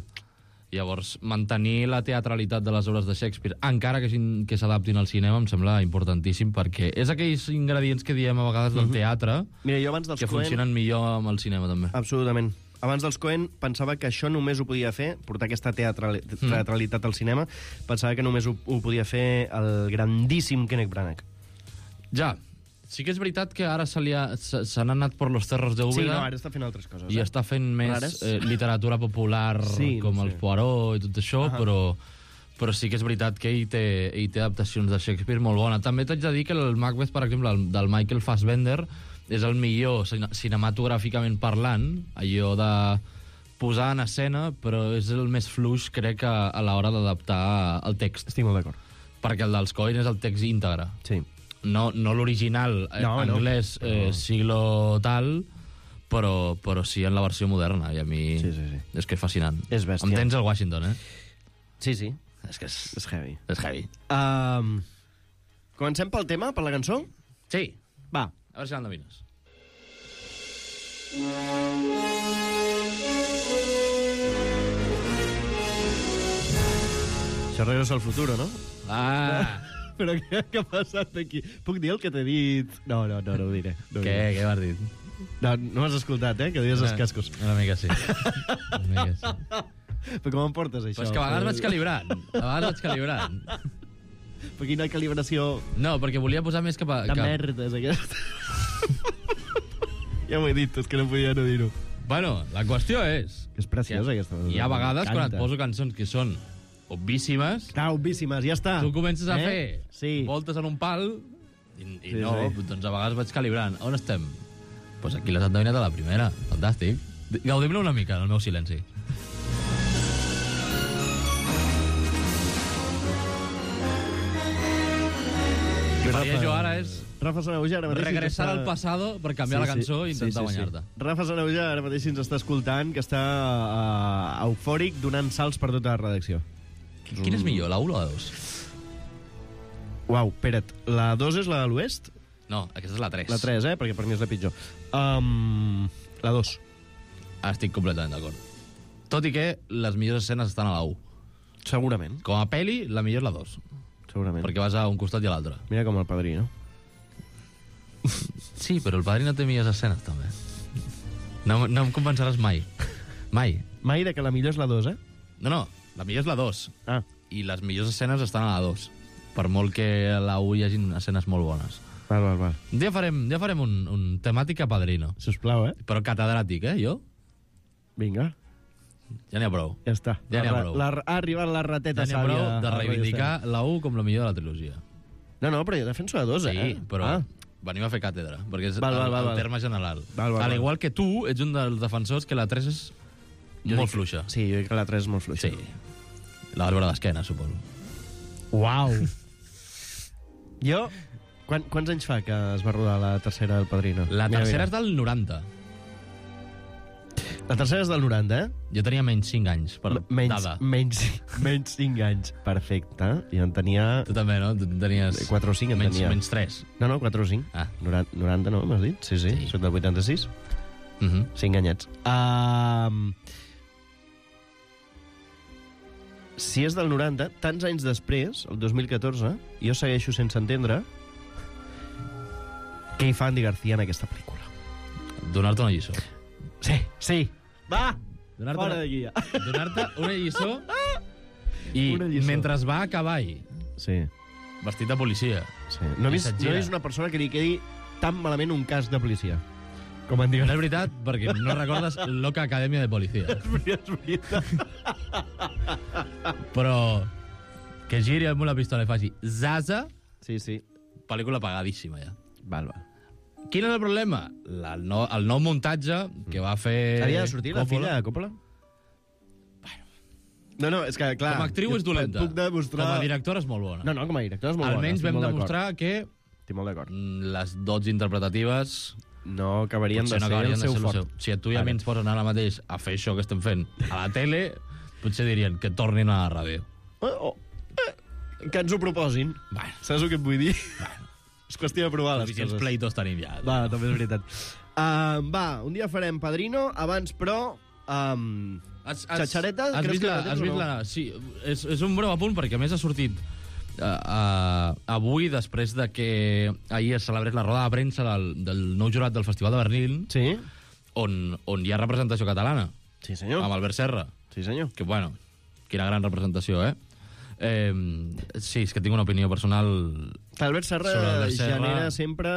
S: Llavors, mantenir la teatralitat de les obres de Shakespeare, encara que s'adaptin al cinema, em sembla importantíssim, perquè és aquells ingredients que diem a vegades del teatre
M: Mira, jo abans dels
S: que funcionen millor amb el cinema, també.
M: Absolutament. Abans dels Coen pensava que això només ho podia fer, portar aquesta teatralitat al cinema, pensava que només ho podia fer el grandíssim Kenneth Branagh.
S: Ja, sí que és veritat que ara s'han anat per los cerros de Úbeda.
M: Sí, no, ara està fent altres coses.
S: I està fent més literatura popular com els Poirot i tot això, però sí que és veritat que ell té adaptacions de Shakespeare molt bona. També t'haig de dir que el Macbeth, per exemple, del Michael Fassbender, és el millor cinematogràficament parlant, allò de posar en escena, però és el més fluix, crec, a l'hora d'adaptar el text.
M: Estic molt d'acord.
S: Perquè el dels Coen és el text íntegre.
M: Sí.
S: No l'original anglès siglo tal, però sí en la versió moderna, i a mi és que és fascinant.
M: És bèstia.
S: Em tens el Washington,
M: Sí, sí.
S: És que
M: és heavy.
S: És heavy.
M: Comencem pel tema, per la cançó?
S: Sí.
M: Va.
S: A veure si l'endevines.
M: Això regressa al futuro, no?
S: Ah!
M: Però què ha passat aquí? Puc dir el que t'he dit? No ho diré.
S: Què m'has dit?
M: No m'has escoltat, que dius els cascos.
S: Una mica sí.
M: Però com em portes, això?
S: Però és que a vegades vaig calibrant.
M: Per quina calibració...
S: No, perquè volia posar més cap a...
M: De merda, és aquesta. Ja m'ho he dit, és que no podia no dir-ho.
S: Bueno, la qüestió és...
M: És preciosa, aquesta.
S: Hi ha vegades quan et poso cançons que són obvíssimes...
M: Clar, obvíssimes, ja està.
S: Tu comences a fer voltes en un pal i doncs a vegades vaig calibrant. On estem? Doncs aquí les has endevinat a la primera. Fantàstic. Gaudim-ne una mica, en el meu silenci. El que faria jo ara és
M: Rafa Sanauja ara mateix
S: regressar al passado per canviar la cançó i intentar guanyar-te.
M: Rafa Sanauja ara mateix ens està escoltant, que està eufòric, donant salts per tota la redacció.
S: Quina és millor, la 1 o la 2?
M: Uau, espera't, la 2 és la de l'oest?
S: No, aquesta és la 3.
M: La 3, perquè per mi és la pitjor. La 2.
S: Estic completament d'acord. Tot i que les millors escenes estan a la 1.
M: Segurament.
S: Com a peli, la millor és la 2.
M: Segurament.
S: Perquè vas a un costat i a l'altre.
M: Mira com el Padrí, no?
S: Sí, però el Padrí no té millors escenes, també. No em convenceràs mai. Mai.
M: Mai de que la millor és la 2,
S: No, la millor és la 2. I les millors escenes estan a la 2. Per molt que a la 1 hi hagi escenes molt bones.
M: Val.
S: Un dia farem un temàtica Padrino.
M: Sisplau,
S: Però catedràtic, jo?
M: Vinga.
S: Ja n'hi ha prou.
M: Ja està.
S: Ja n'hi ha prou.
M: Ha arribat la rateta
S: sàvia. Ja n'hi ha prou de reivindicar la 1 com la millor de la trilogia.
M: No, però jo defenso la 2,
S: Sí, però venim a fer càtedra, perquè és el terme general.
M: Al
S: igual que tu, ets un dels defensors que la 3 és molt fluixa.
M: Sí, jo dic que la 3 és molt fluixa.
S: Sí. La vas veure d'esquena, suposo.
M: Uau! Jo... Quants anys fa que es va rodar la tercera del Padrino?
S: La tercera és del 90.
M: La tercera és del 90,
S: Jo tenia menys 5 anys, per dada.
M: Menys 5 anys. Perfecte. Jo en tenia...
S: Tu també, no? Tu tenies...
M: 4 o 5 en tenia.
S: Menys 3.
M: No, 4 o 5. 90 no, m'has dit? Sí. Soc del 86. 5 anyets. Si és del 90, tants anys després, el 2014, jo segueixo sense entendre què hi fa Andy García en aquesta pel·lícula.
S: Donar-te una lliçó.
M: Sí. Va! Fora d'aquí ja.
S: Donar-te una lliçó i mentre va a cavall.
M: Sí.
S: Vestit de policia.
M: Sí. No he vist una persona que li quedi tan malament un cas de policia. Com en diuen.
S: No és veritat, perquè no recordes Loca Acadèmia de Policia.
M: És veritat.
S: Però que giri amb una pistola i faci Zaza...
M: Sí.
S: Pel·lícula pagadíssima, ja.
M: Val.
S: Quin és el problema? El nou muntatge que va fer...
M: Havia de sortir la filla de Coppola? No, és que, clar...
S: Com a actriu és dolenta.
M: Puc demostrar...
S: Com a directora és molt bona.
M: No, com a directora és molt bona.
S: Almenys vam demostrar que...
M: Estic molt d'acord.
S: Les dots interpretatives...
M: No acabarien de ser el seu fort.
S: Si a tu i a mi ens posen ara mateix a fer això que estem fent a la tele, potser dirien que tornin a la ràdio.
M: Que ens ho proposin. Saps el que et vull dir? És qüestió de provar les
S: Suficients
M: coses.
S: pleitos tenim ja.
M: Va, també és veritat. Un dia farem Padrino, abans, però... Xatxareta, creus que la tens o no?
S: Sí, és un breu apunt, perquè a més ha sortit avui, després de que ahir es celebrés la roda de premsa del nou jurat del Festival de Berlín,
M: sí,
S: on hi ha representació catalana.
M: Sí, senyor.
S: Amb Albert Serra.
M: Sí, senyor.
S: Que, bueno, quina gran representació, sí, és que tinc una opinió personal...
M: Albert Serra genera sempre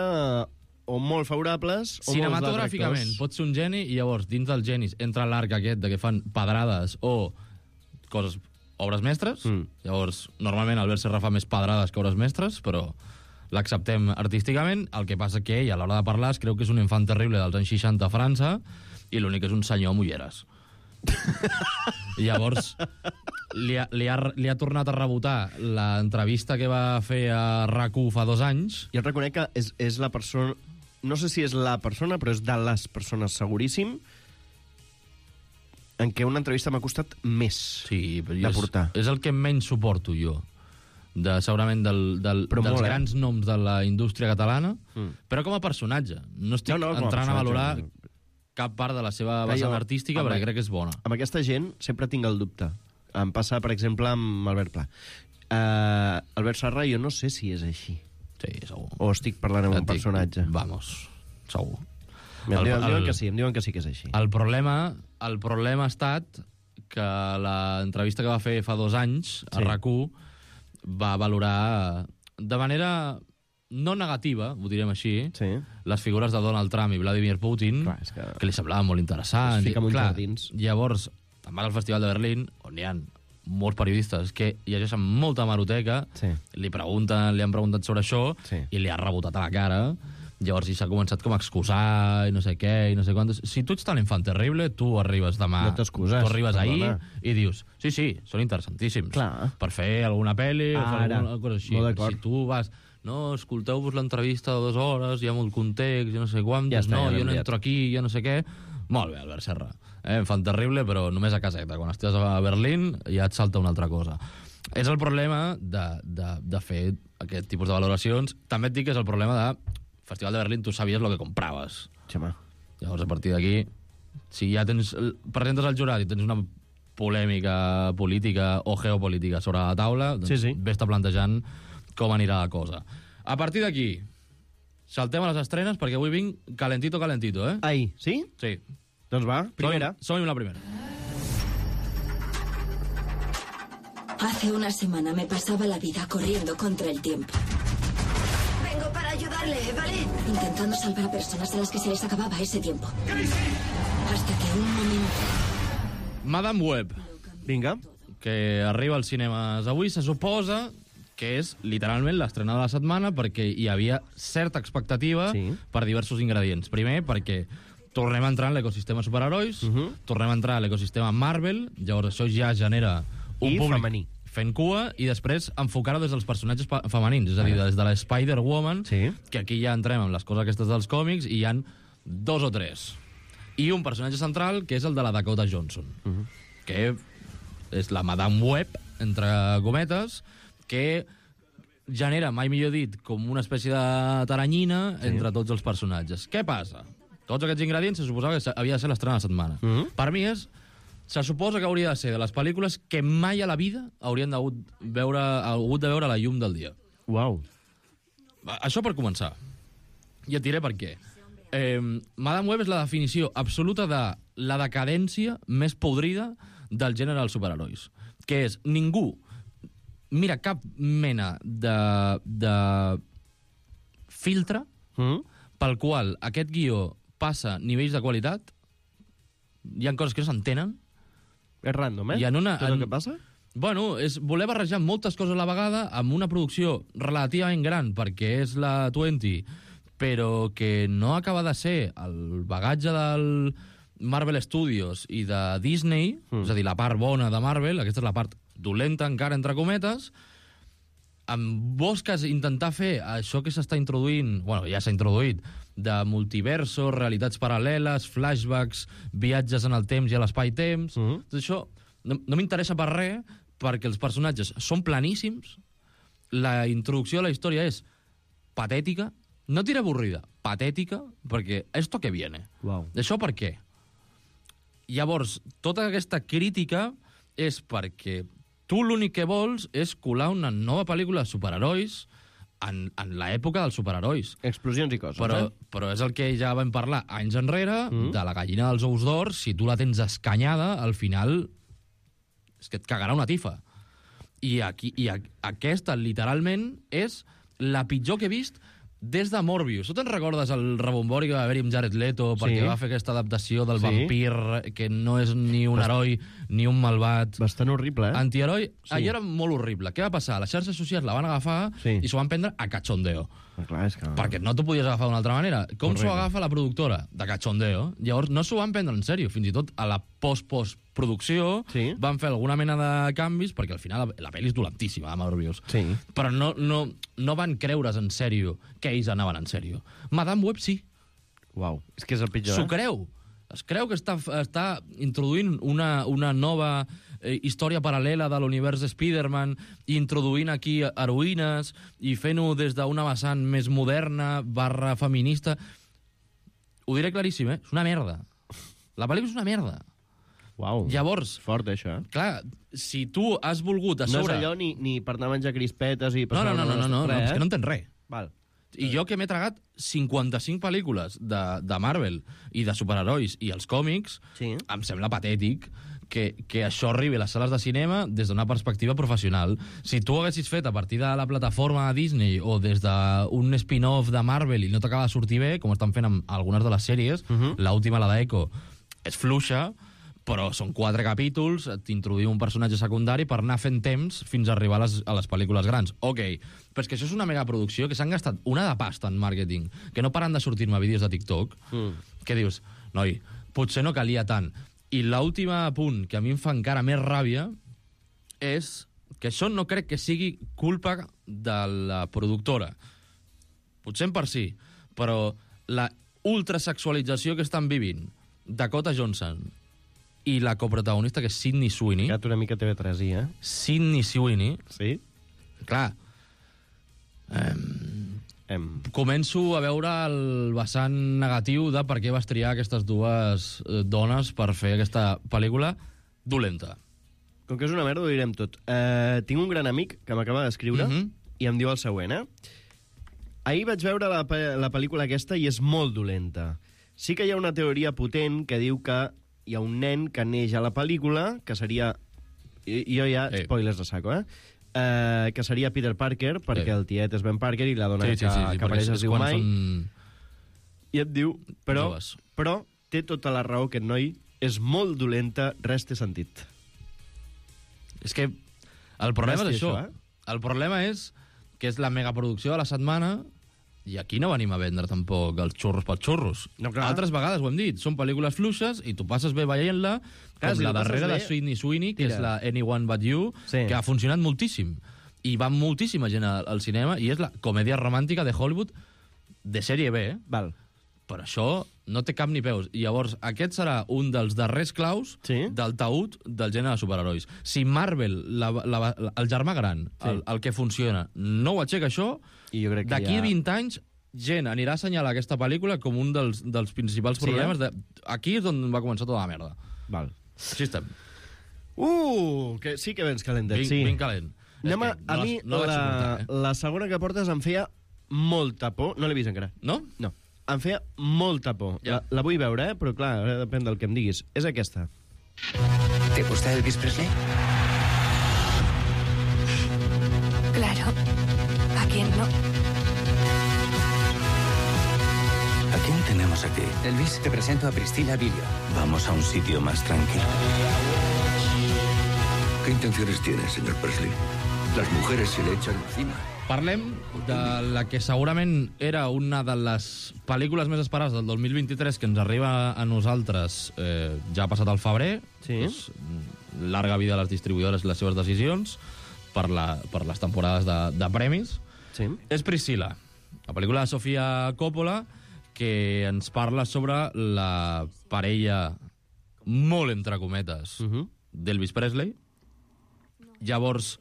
M: o molt favorables o
S: cinematogràficament pot ser un geni, i llavors dins dels genis entra l'arc aquest de que fan pedrades o coses, obres mestres. Llavors normalment Albert Serra fa més pedrades que obres mestres, però l'acceptem artísticament. El que passa que ell a l'hora de parlar es creu que és un infant terrible dels anys 60 a França i l'únic és un senyor amb ulleres. Llavors li ha tornat a rebotar l'entrevista que va fer a RAC1 fa 2 anys.
M: Jo et reconec que és la persona... No sé si és la persona, però és de les persones, seguríssim, en què una entrevista m'ha costat més de portar.
S: És el que menys suporto jo, segurament dels grans noms de la indústria catalana, però com a personatge. No estic entrant a valorar cap part de la seva vessant artística, perquè crec que és bona.
M: Amb aquesta gent sempre tinc el dubte. Em passa, per exemple, amb Albert Pla. Albert Serra, jo no sé si és així.
S: Sí, segur.
M: O estic parlant amb un personatge.
S: Vamos, segur.
M: Em diuen que sí que és així.
S: El problema ha estat que l'entrevista que va fer fa 2 anys a RAC1 va valorar de manera no negativa, ho direm així, les figures de Donald Trump i Vladimir Putin, que li semblava molt interessant. Llavors, te'n vas al Festival de Berlín, on hi ha molts periodistes que llegeixen molta hemeroteca, li han preguntat sobre això i li ha rebotat a la cara. Llavors s'ha començat com a excusar i no sé què i no sé quantos. Si tu ets tan infant terrible, tu arribes demà, tu arribes ahir i dius, sí, són interessantíssims per fer alguna pel·li o fer alguna cosa així. Si tu vas, no, escolteu-vos l'entrevista de 2 hores, hi ha molt context, i no sé quantos, jo no entro aquí, ja no sé què. Molt bé, Albert Serra. Infant terrible, però només a caseta. Quan estàs a Berlín ja et salta una altra cosa. És el problema de fer aquest tipus de valoracions. També et dic que és el problema de Festival de Berlín, tu sabies el que compraves. Llavors, a partir d'aquí, si ja presentes al jurat i tens una polèmica política o geopolítica sobre la taula, doncs vés-te plantejant com anirà la cosa. A partir d'aquí, saltem a les estrenes, perquè avui vinc calentito,
M: Ai, sí?
S: Sí.
M: Doncs va, primera.
S: Som-hi la primera.
T: Hace una semana me pasaba la vida corriendo contra el tiempo. Vengo para ayudarle, ¿vale? Intentando salvar a personas a las que se les acababa ese tiempo. Hasta que un momento...
S: Madame Web.
M: Vinga.
S: Que arriba als cinemes avui, se suposa que és literalment l'estrena de la setmana, perquè hi havia certa expectativa per diversos ingredients. Primer, perquè tornem a entrar en l'ecosistema superherois, tornem a entrar a l'ecosistema Marvel, llavors això ja genera un públic
M: femení
S: fent cua, i després enfocar-ho des dels personatges femenins, és a dir, des de la Spider-Woman, que aquí ja entrem amb les coses aquestes dels còmics, i hi han 2 o 3. I un personatge central, que és el de la Dakota Johnson, que és la Madame Web, entre cometes, que genera, mai millor dit, com una espècie de taranyina entre tots els personatges. Què passa? Tots aquests ingredients se suposava que havia de ser l'estrena de la setmana. Per mi se suposa que hauria de ser de les pel·lícules que mai a la vida haurien hagut de veure la llum del dia.
M: Uau.
S: Això per començar. I et diré per què. Madame Web és la definició absoluta de la decadència més podrida del gènere dels superherois. Que és ningú mira cap mena de filtre pel qual aquest guió passa nivells de qualitat. Hi ha coses que no s'entenen.
M: És random, tot el que passa?
S: Bueno, és voler barrejar moltes coses a la vegada amb una producció relativament gran, perquè és la 20, però que no acaba de ser el bagatge del Marvel Studios i de Disney, és a dir, la part bona de Marvel, aquesta és la part dolenta encara, entre cometes, amb busques intentar fer això que s'està introduint, bueno, ja s'ha introduït, de multiversos, realitats paral·leles, flashbacks, viatges en el temps i a l'espai-temps. Tot això no m'interessa per res, perquè els personatges són planíssims, la introducció a la història és patètica, no diré avorrida, patètica, perquè esto que viene.
M: Wow.
S: Això per què? Llavors, tota aquesta crítica és perquè tu l'únic que vols és colar una nova pel·lícula de superherois en l'època dels superherois.
M: Explosions i coses,
S: Però és el que ja vam parlar anys enrere, de la gallina dels ous d'or. Si tu la tens escanyada, al final és que et cagarà una tifa. I aquesta, literalment, és la pitjor que he vist des de Morbius. Tu te'n recordes el rebombori que va haver-hi amb Jared Leto perquè va fer aquesta adaptació del vampir que no és ni un heroi ni un malvat?
M: Bastant horrible,
S: Antiheroi. Allò era molt horrible. Què va passar? Les xarxes socials la van agafar i s'ho van prendre a cachondeo.
M: Clar, és que...
S: Perquè no t'ho podies agafar d'una altra manera. Com s'ho agafa la productora? De cachondeo. Llavors no s'ho van prendre en sèrio. Fins i tot a la post-producció van fer alguna mena de canvis, perquè al final la pel·li és dolentíssima, Morbius. Però no van creure's en sèrio que ells anaven en sèrio. Madame Web sí.
M: Uau, és que és el pitjor,
S: S'ho creu. Es creu que està introduint una nova història paral·lela de l'univers de Spider-Man, introduint aquí heroïnes i fent-ho des d'una vessant més moderna / feminista. Ho diré claríssim, és una merda. La pel·lícula és una merda.
M: Uau,
S: llavors,
M: fort, això.
S: Clar, si tu has volgut a sobre...
M: No és allò ni per anar a menjar crispetes i...
S: No, és que no entens res.
M: Val.
S: I jo que m'he tragat 55 pel·lícules de Marvel i de superherois i els còmics, em sembla patètic que això arribi a les sales de cinema des d'una perspectiva professional. Si tu ho haguessis fet a partir de la plataforma de Disney o des d'un spin-off de Marvel i no t'acaba de sortir bé, com estan fent amb algunes de les sèries, l'última, la d'Echo, és fluixa, però són 4 capítols, t'introduïm un personatge secundari per anar fent temps fins a arribar a les pel·lícules grans. Ok, però és que això és una megaproducció que s'han gastat una de pasta en màrqueting, que no paren de sortir-me vídeos de TikTok, que dius, noi, potser no calia tant. I l'últim punt que a mi em fa encara més ràbia és que això no crec que sigui culpa de la productora. Potser en per si, però la ultrasexualització que estan vivint Dakota Johnson i la coprotagonista, que és Sydney Sweeney...
M: Quedat una mica TV3i,
S: Sydney Sweeney.
M: Sí?
S: Clar. Començo a veure el vessant negatiu de per què vas triar aquestes dues dones per fer aquesta pel·lícula dolenta.
M: Com que és una merda, ho direm tot. Tinc un gran amic que m'acaba d'escriure i em diu el següent, Ahir vaig veure la pel·lícula aquesta i és molt dolenta. Sí que hi ha una teoria potent que diu que hi ha un nen que neix a la pel·lícula, que seria... Jo ja, spoilers de saco, que seria Peter Parker, perquè el tiet és Ben Parker i la dona que apareix es diu Mai. I et diu, però té tota la raó que el noi és molt dolenta, res té sentit.
S: És que el problema és això. El problema és que és la megaproducció de la setmana. I aquí no venim a vendre tampoc els xurros pels xurros. No, altres vegades ho hem dit, són pel·lícules fluixes i tu passes bé veient-la, com la darrera de Sydney Sweeney, que és la Anyone But You, que ha funcionat moltíssim. I va moltíssima gent al cinema, i és la comèdia romàntica de Hollywood de sèrie B,
M: Val.
S: Però això no té cap ni peus. I llavors, aquest serà un dels darrers claus del taüt del gènere de superherois. Si Marvel, el germà gran, el que funciona, no ho aixeca això, d'aquí a 20 anys gent anirà a assenyalar aquesta pel·lícula com un dels principals problemes. Aquí és on va començar tota la merda.
M: Val.
S: Així estem.
M: Que sí que vens calentet, sí.
S: Ben calent.
M: A mi la segona que portes em feia molta por. No l'he vist encara.
S: No?
M: No. Em feia molta por. La vull veure, però clar, depèn del que em diguis. És aquesta.
U: ¿Te gusta Elvis Presley?
J: Claro. ¿A quién no?
U: ¿A quién tenemos aquí? Elvis, te presento a Priscilla Vilio. Vamos a un sitio más tranquilo.
V: ¿Qué intenciones tiene, señor Presley? Las mujeres se le echan encima.
S: Parlem de la que segurament era una de les pel·lícules més esperades del 2023 que ens arriba a nosaltres ja ha passat al febrer. Pues, larga vida a les distribuïdores i les seves decisions per les temporades de premis. És Priscilla, la pel·lícula de Sofia Coppola, que ens parla sobre la parella molt entre cometes d'Elvis Presley. Llavors,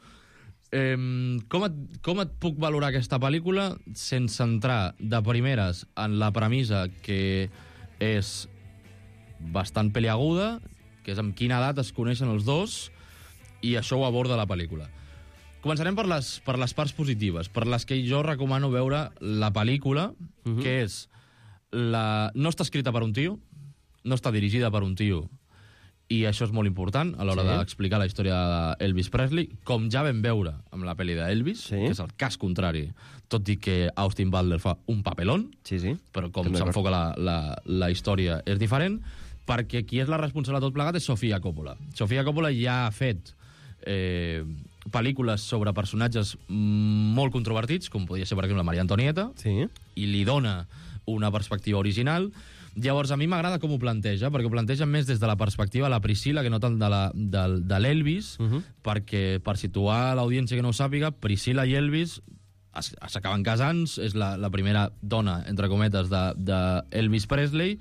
S: Com et puc valorar aquesta pel·lícula sense entrar de primeres en la premissa que és bastant peliaguda, que és amb quina edat es coneixen els dos, i això ho aborda la pel·lícula. Començarem per les parts positives, per les que jo recomano veure la pel·lícula, que és no està escrita per un tio, no està dirigida per un tio, i això és molt important a l'hora d'explicar la història d'Elvis Presley, com ja vam veure amb la pel·li d'Elvis, que és el cas contrari, tot i que Austin Butler fa un papelón, però com s'enfoca la història és diferent, perquè qui és la responsable de tot plegat és Sofia Coppola. Sofia Coppola ja ha fet pel·lícules sobre personatges molt controvertits, com podria ser, per exemple, Maria Antonieta, i li dona una perspectiva original. Llavors, a mi m'agrada com ho planteja, perquè ho planteja més des de la perspectiva de la Priscilla que no tant de l'Elvis, perquè, per situar l'audiència que no ho sàpiga, Priscilla i Elvis s'acaben casant, és la primera dona, entre cometes, d'Elvis Presley,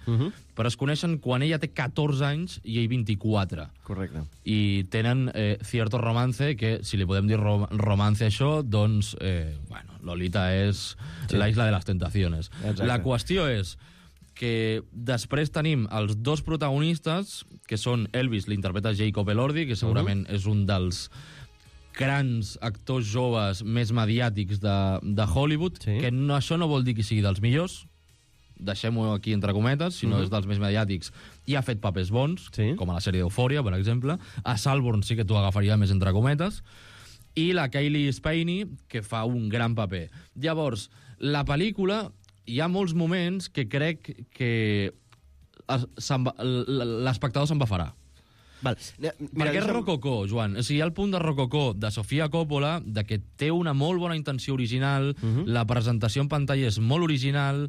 S: però es coneixen quan ella té 14 anys i ell 24.
M: Correcte.
S: I tenen cierto romance, que si li podem dir romance a això, doncs, Lolita és la isla de les tentaciones. La qüestió és que després tenim els dos protagonistes, que són Elvis, l'interpreta Jacob Elordi, que segurament és un dels grans actors joves més mediàtics de Hollywood, que això no vol dir que sigui dels millors, deixem-ho aquí entre cometes, sinó és dels més mediàtics, i ha fet papers bons, com a la sèrie d'Eufòria, per exemple. A Salborn sí que t'ho agafaria més entre cometes. I la Kaylee Spaeny, que fa un gran paper. Llavors, la pel·lícula, hi ha molts moments que crec que l'espectador s'embafarà. Perquè és rococó, Joan. O sigui, hi ha el punt de rococó de Sofia Coppola, de que té una molt bona intenció original, la presentació en pantalla és molt original,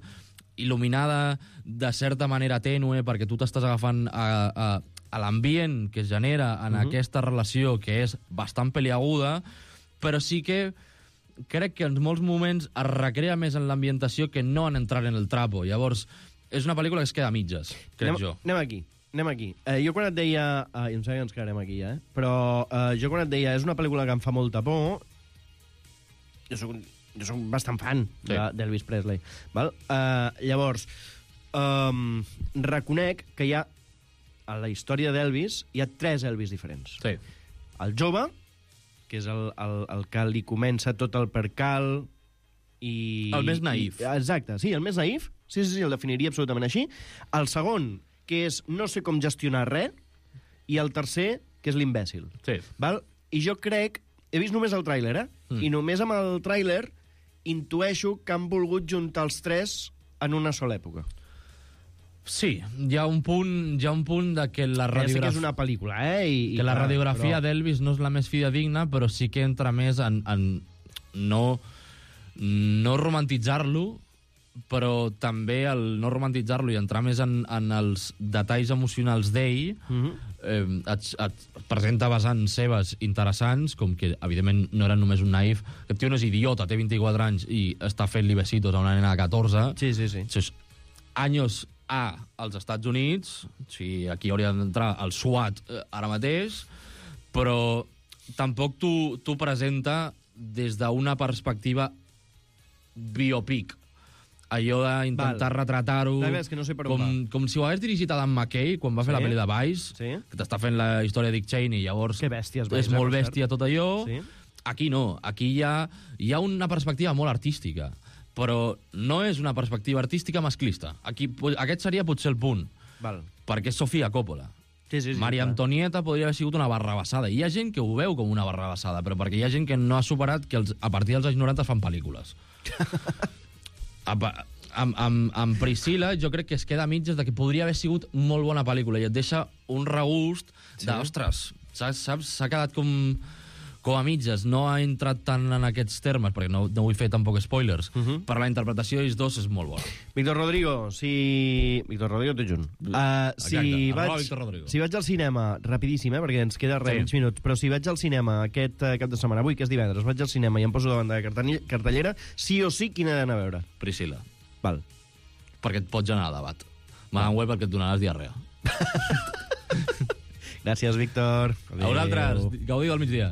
S: il·luminada de certa manera tènue, perquè tu t'estàs agafant a l'ambient que es genera en aquesta relació, que és bastant peliaguda, però sí que crec que en molts moments es recrea més en l'ambientació que no en entrar en el trapo. Llavors, és una pel·lícula que es queda a mitges, crec jo.
M: Anem aquí. Jo quan et deia... em sembla que ens quedarem aquí, però jo quan et deia és una pel·lícula que em fa molta por, jo soc bastant fan d'Elvis Presley. Llavors, reconec que hi ha, a la història d'Elvis, hi ha 3 Elvis diferents. El jove, que és el que li comença tot el percal i...
S: El més naïf.
M: Exacte, sí, el més naïf. Sí, el definiria absolutament així. El segon, que és no sé com gestionar res, i el tercer, que és l'imbècil. I jo crec... He vist només el tràiler, i només amb el tràiler intueixo que han volgut juntar els 3 en una sola època.
S: Sí, hi ha un punt de que la radiografia...
M: Ja sé que és una pel·lícula,
S: que la radiografia d'Elvis no és la més fidedigna, però sí que entra més en no romantitzar-lo, però també el no romantitzar-lo i entrar més en els detalls emocionals d'ell, et presenta vessants seves interessants, com que, evidentment, no era només un naïf. Aquest tio no és idiota, té 24 anys i està fent-li besitos a una nena de 14.
M: Sí.
S: Anys A als Estats Units, aquí hauria d'entrar el SWAT ara mateix, però tampoc t'ho presenta des d'una perspectiva biopic. Allò d'intentar retratar-ho com si ho hagués dirigit Adam McKay quan va fer la pel·li de Vice, que t'està fent la història de Dick Cheney, llavors és molt bèstia tot allò. Aquí no, aquí hi ha una perspectiva molt artística, però no és una perspectiva artística masclista. Aquest seria potser el punt, perquè és Sofia Coppola. Maria Antonieta podria haver sigut una barrabassada. Hi ha gent que ho veu com una barrabassada, però perquè hi ha gent que no ha superat que a partir dels anys 90 es fan pel·lícules. Amb Priscilla jo crec que es queda a mitges de que podria haver sigut molt bona pel·lícula i et deixa un regust d'ostres, saps? S'ha quedat com a mitges, no ha entrat tant en aquests termes, perquè no vull fer tampoc spoilers, però la interpretació d'ells dos és molt bona.
M: Víctor Rodrigo, Víctor Rodrigo, tot junt. Si vaig al cinema, rapidíssim, perquè ens queda uns minuts, però si vaig al cinema aquest cap de setmana, avui que és divendres, vaig al cinema i em poso davant de la cartellera, sí o sí, quina he d'anar a veure?
S: Priscilla.
M: Val.
S: Perquè et pots anar a debat. Madame Web perquè et donaràs diarrea.
M: Gràcies, Víctor.
S: A vosaltres. Gaudiu del migdia.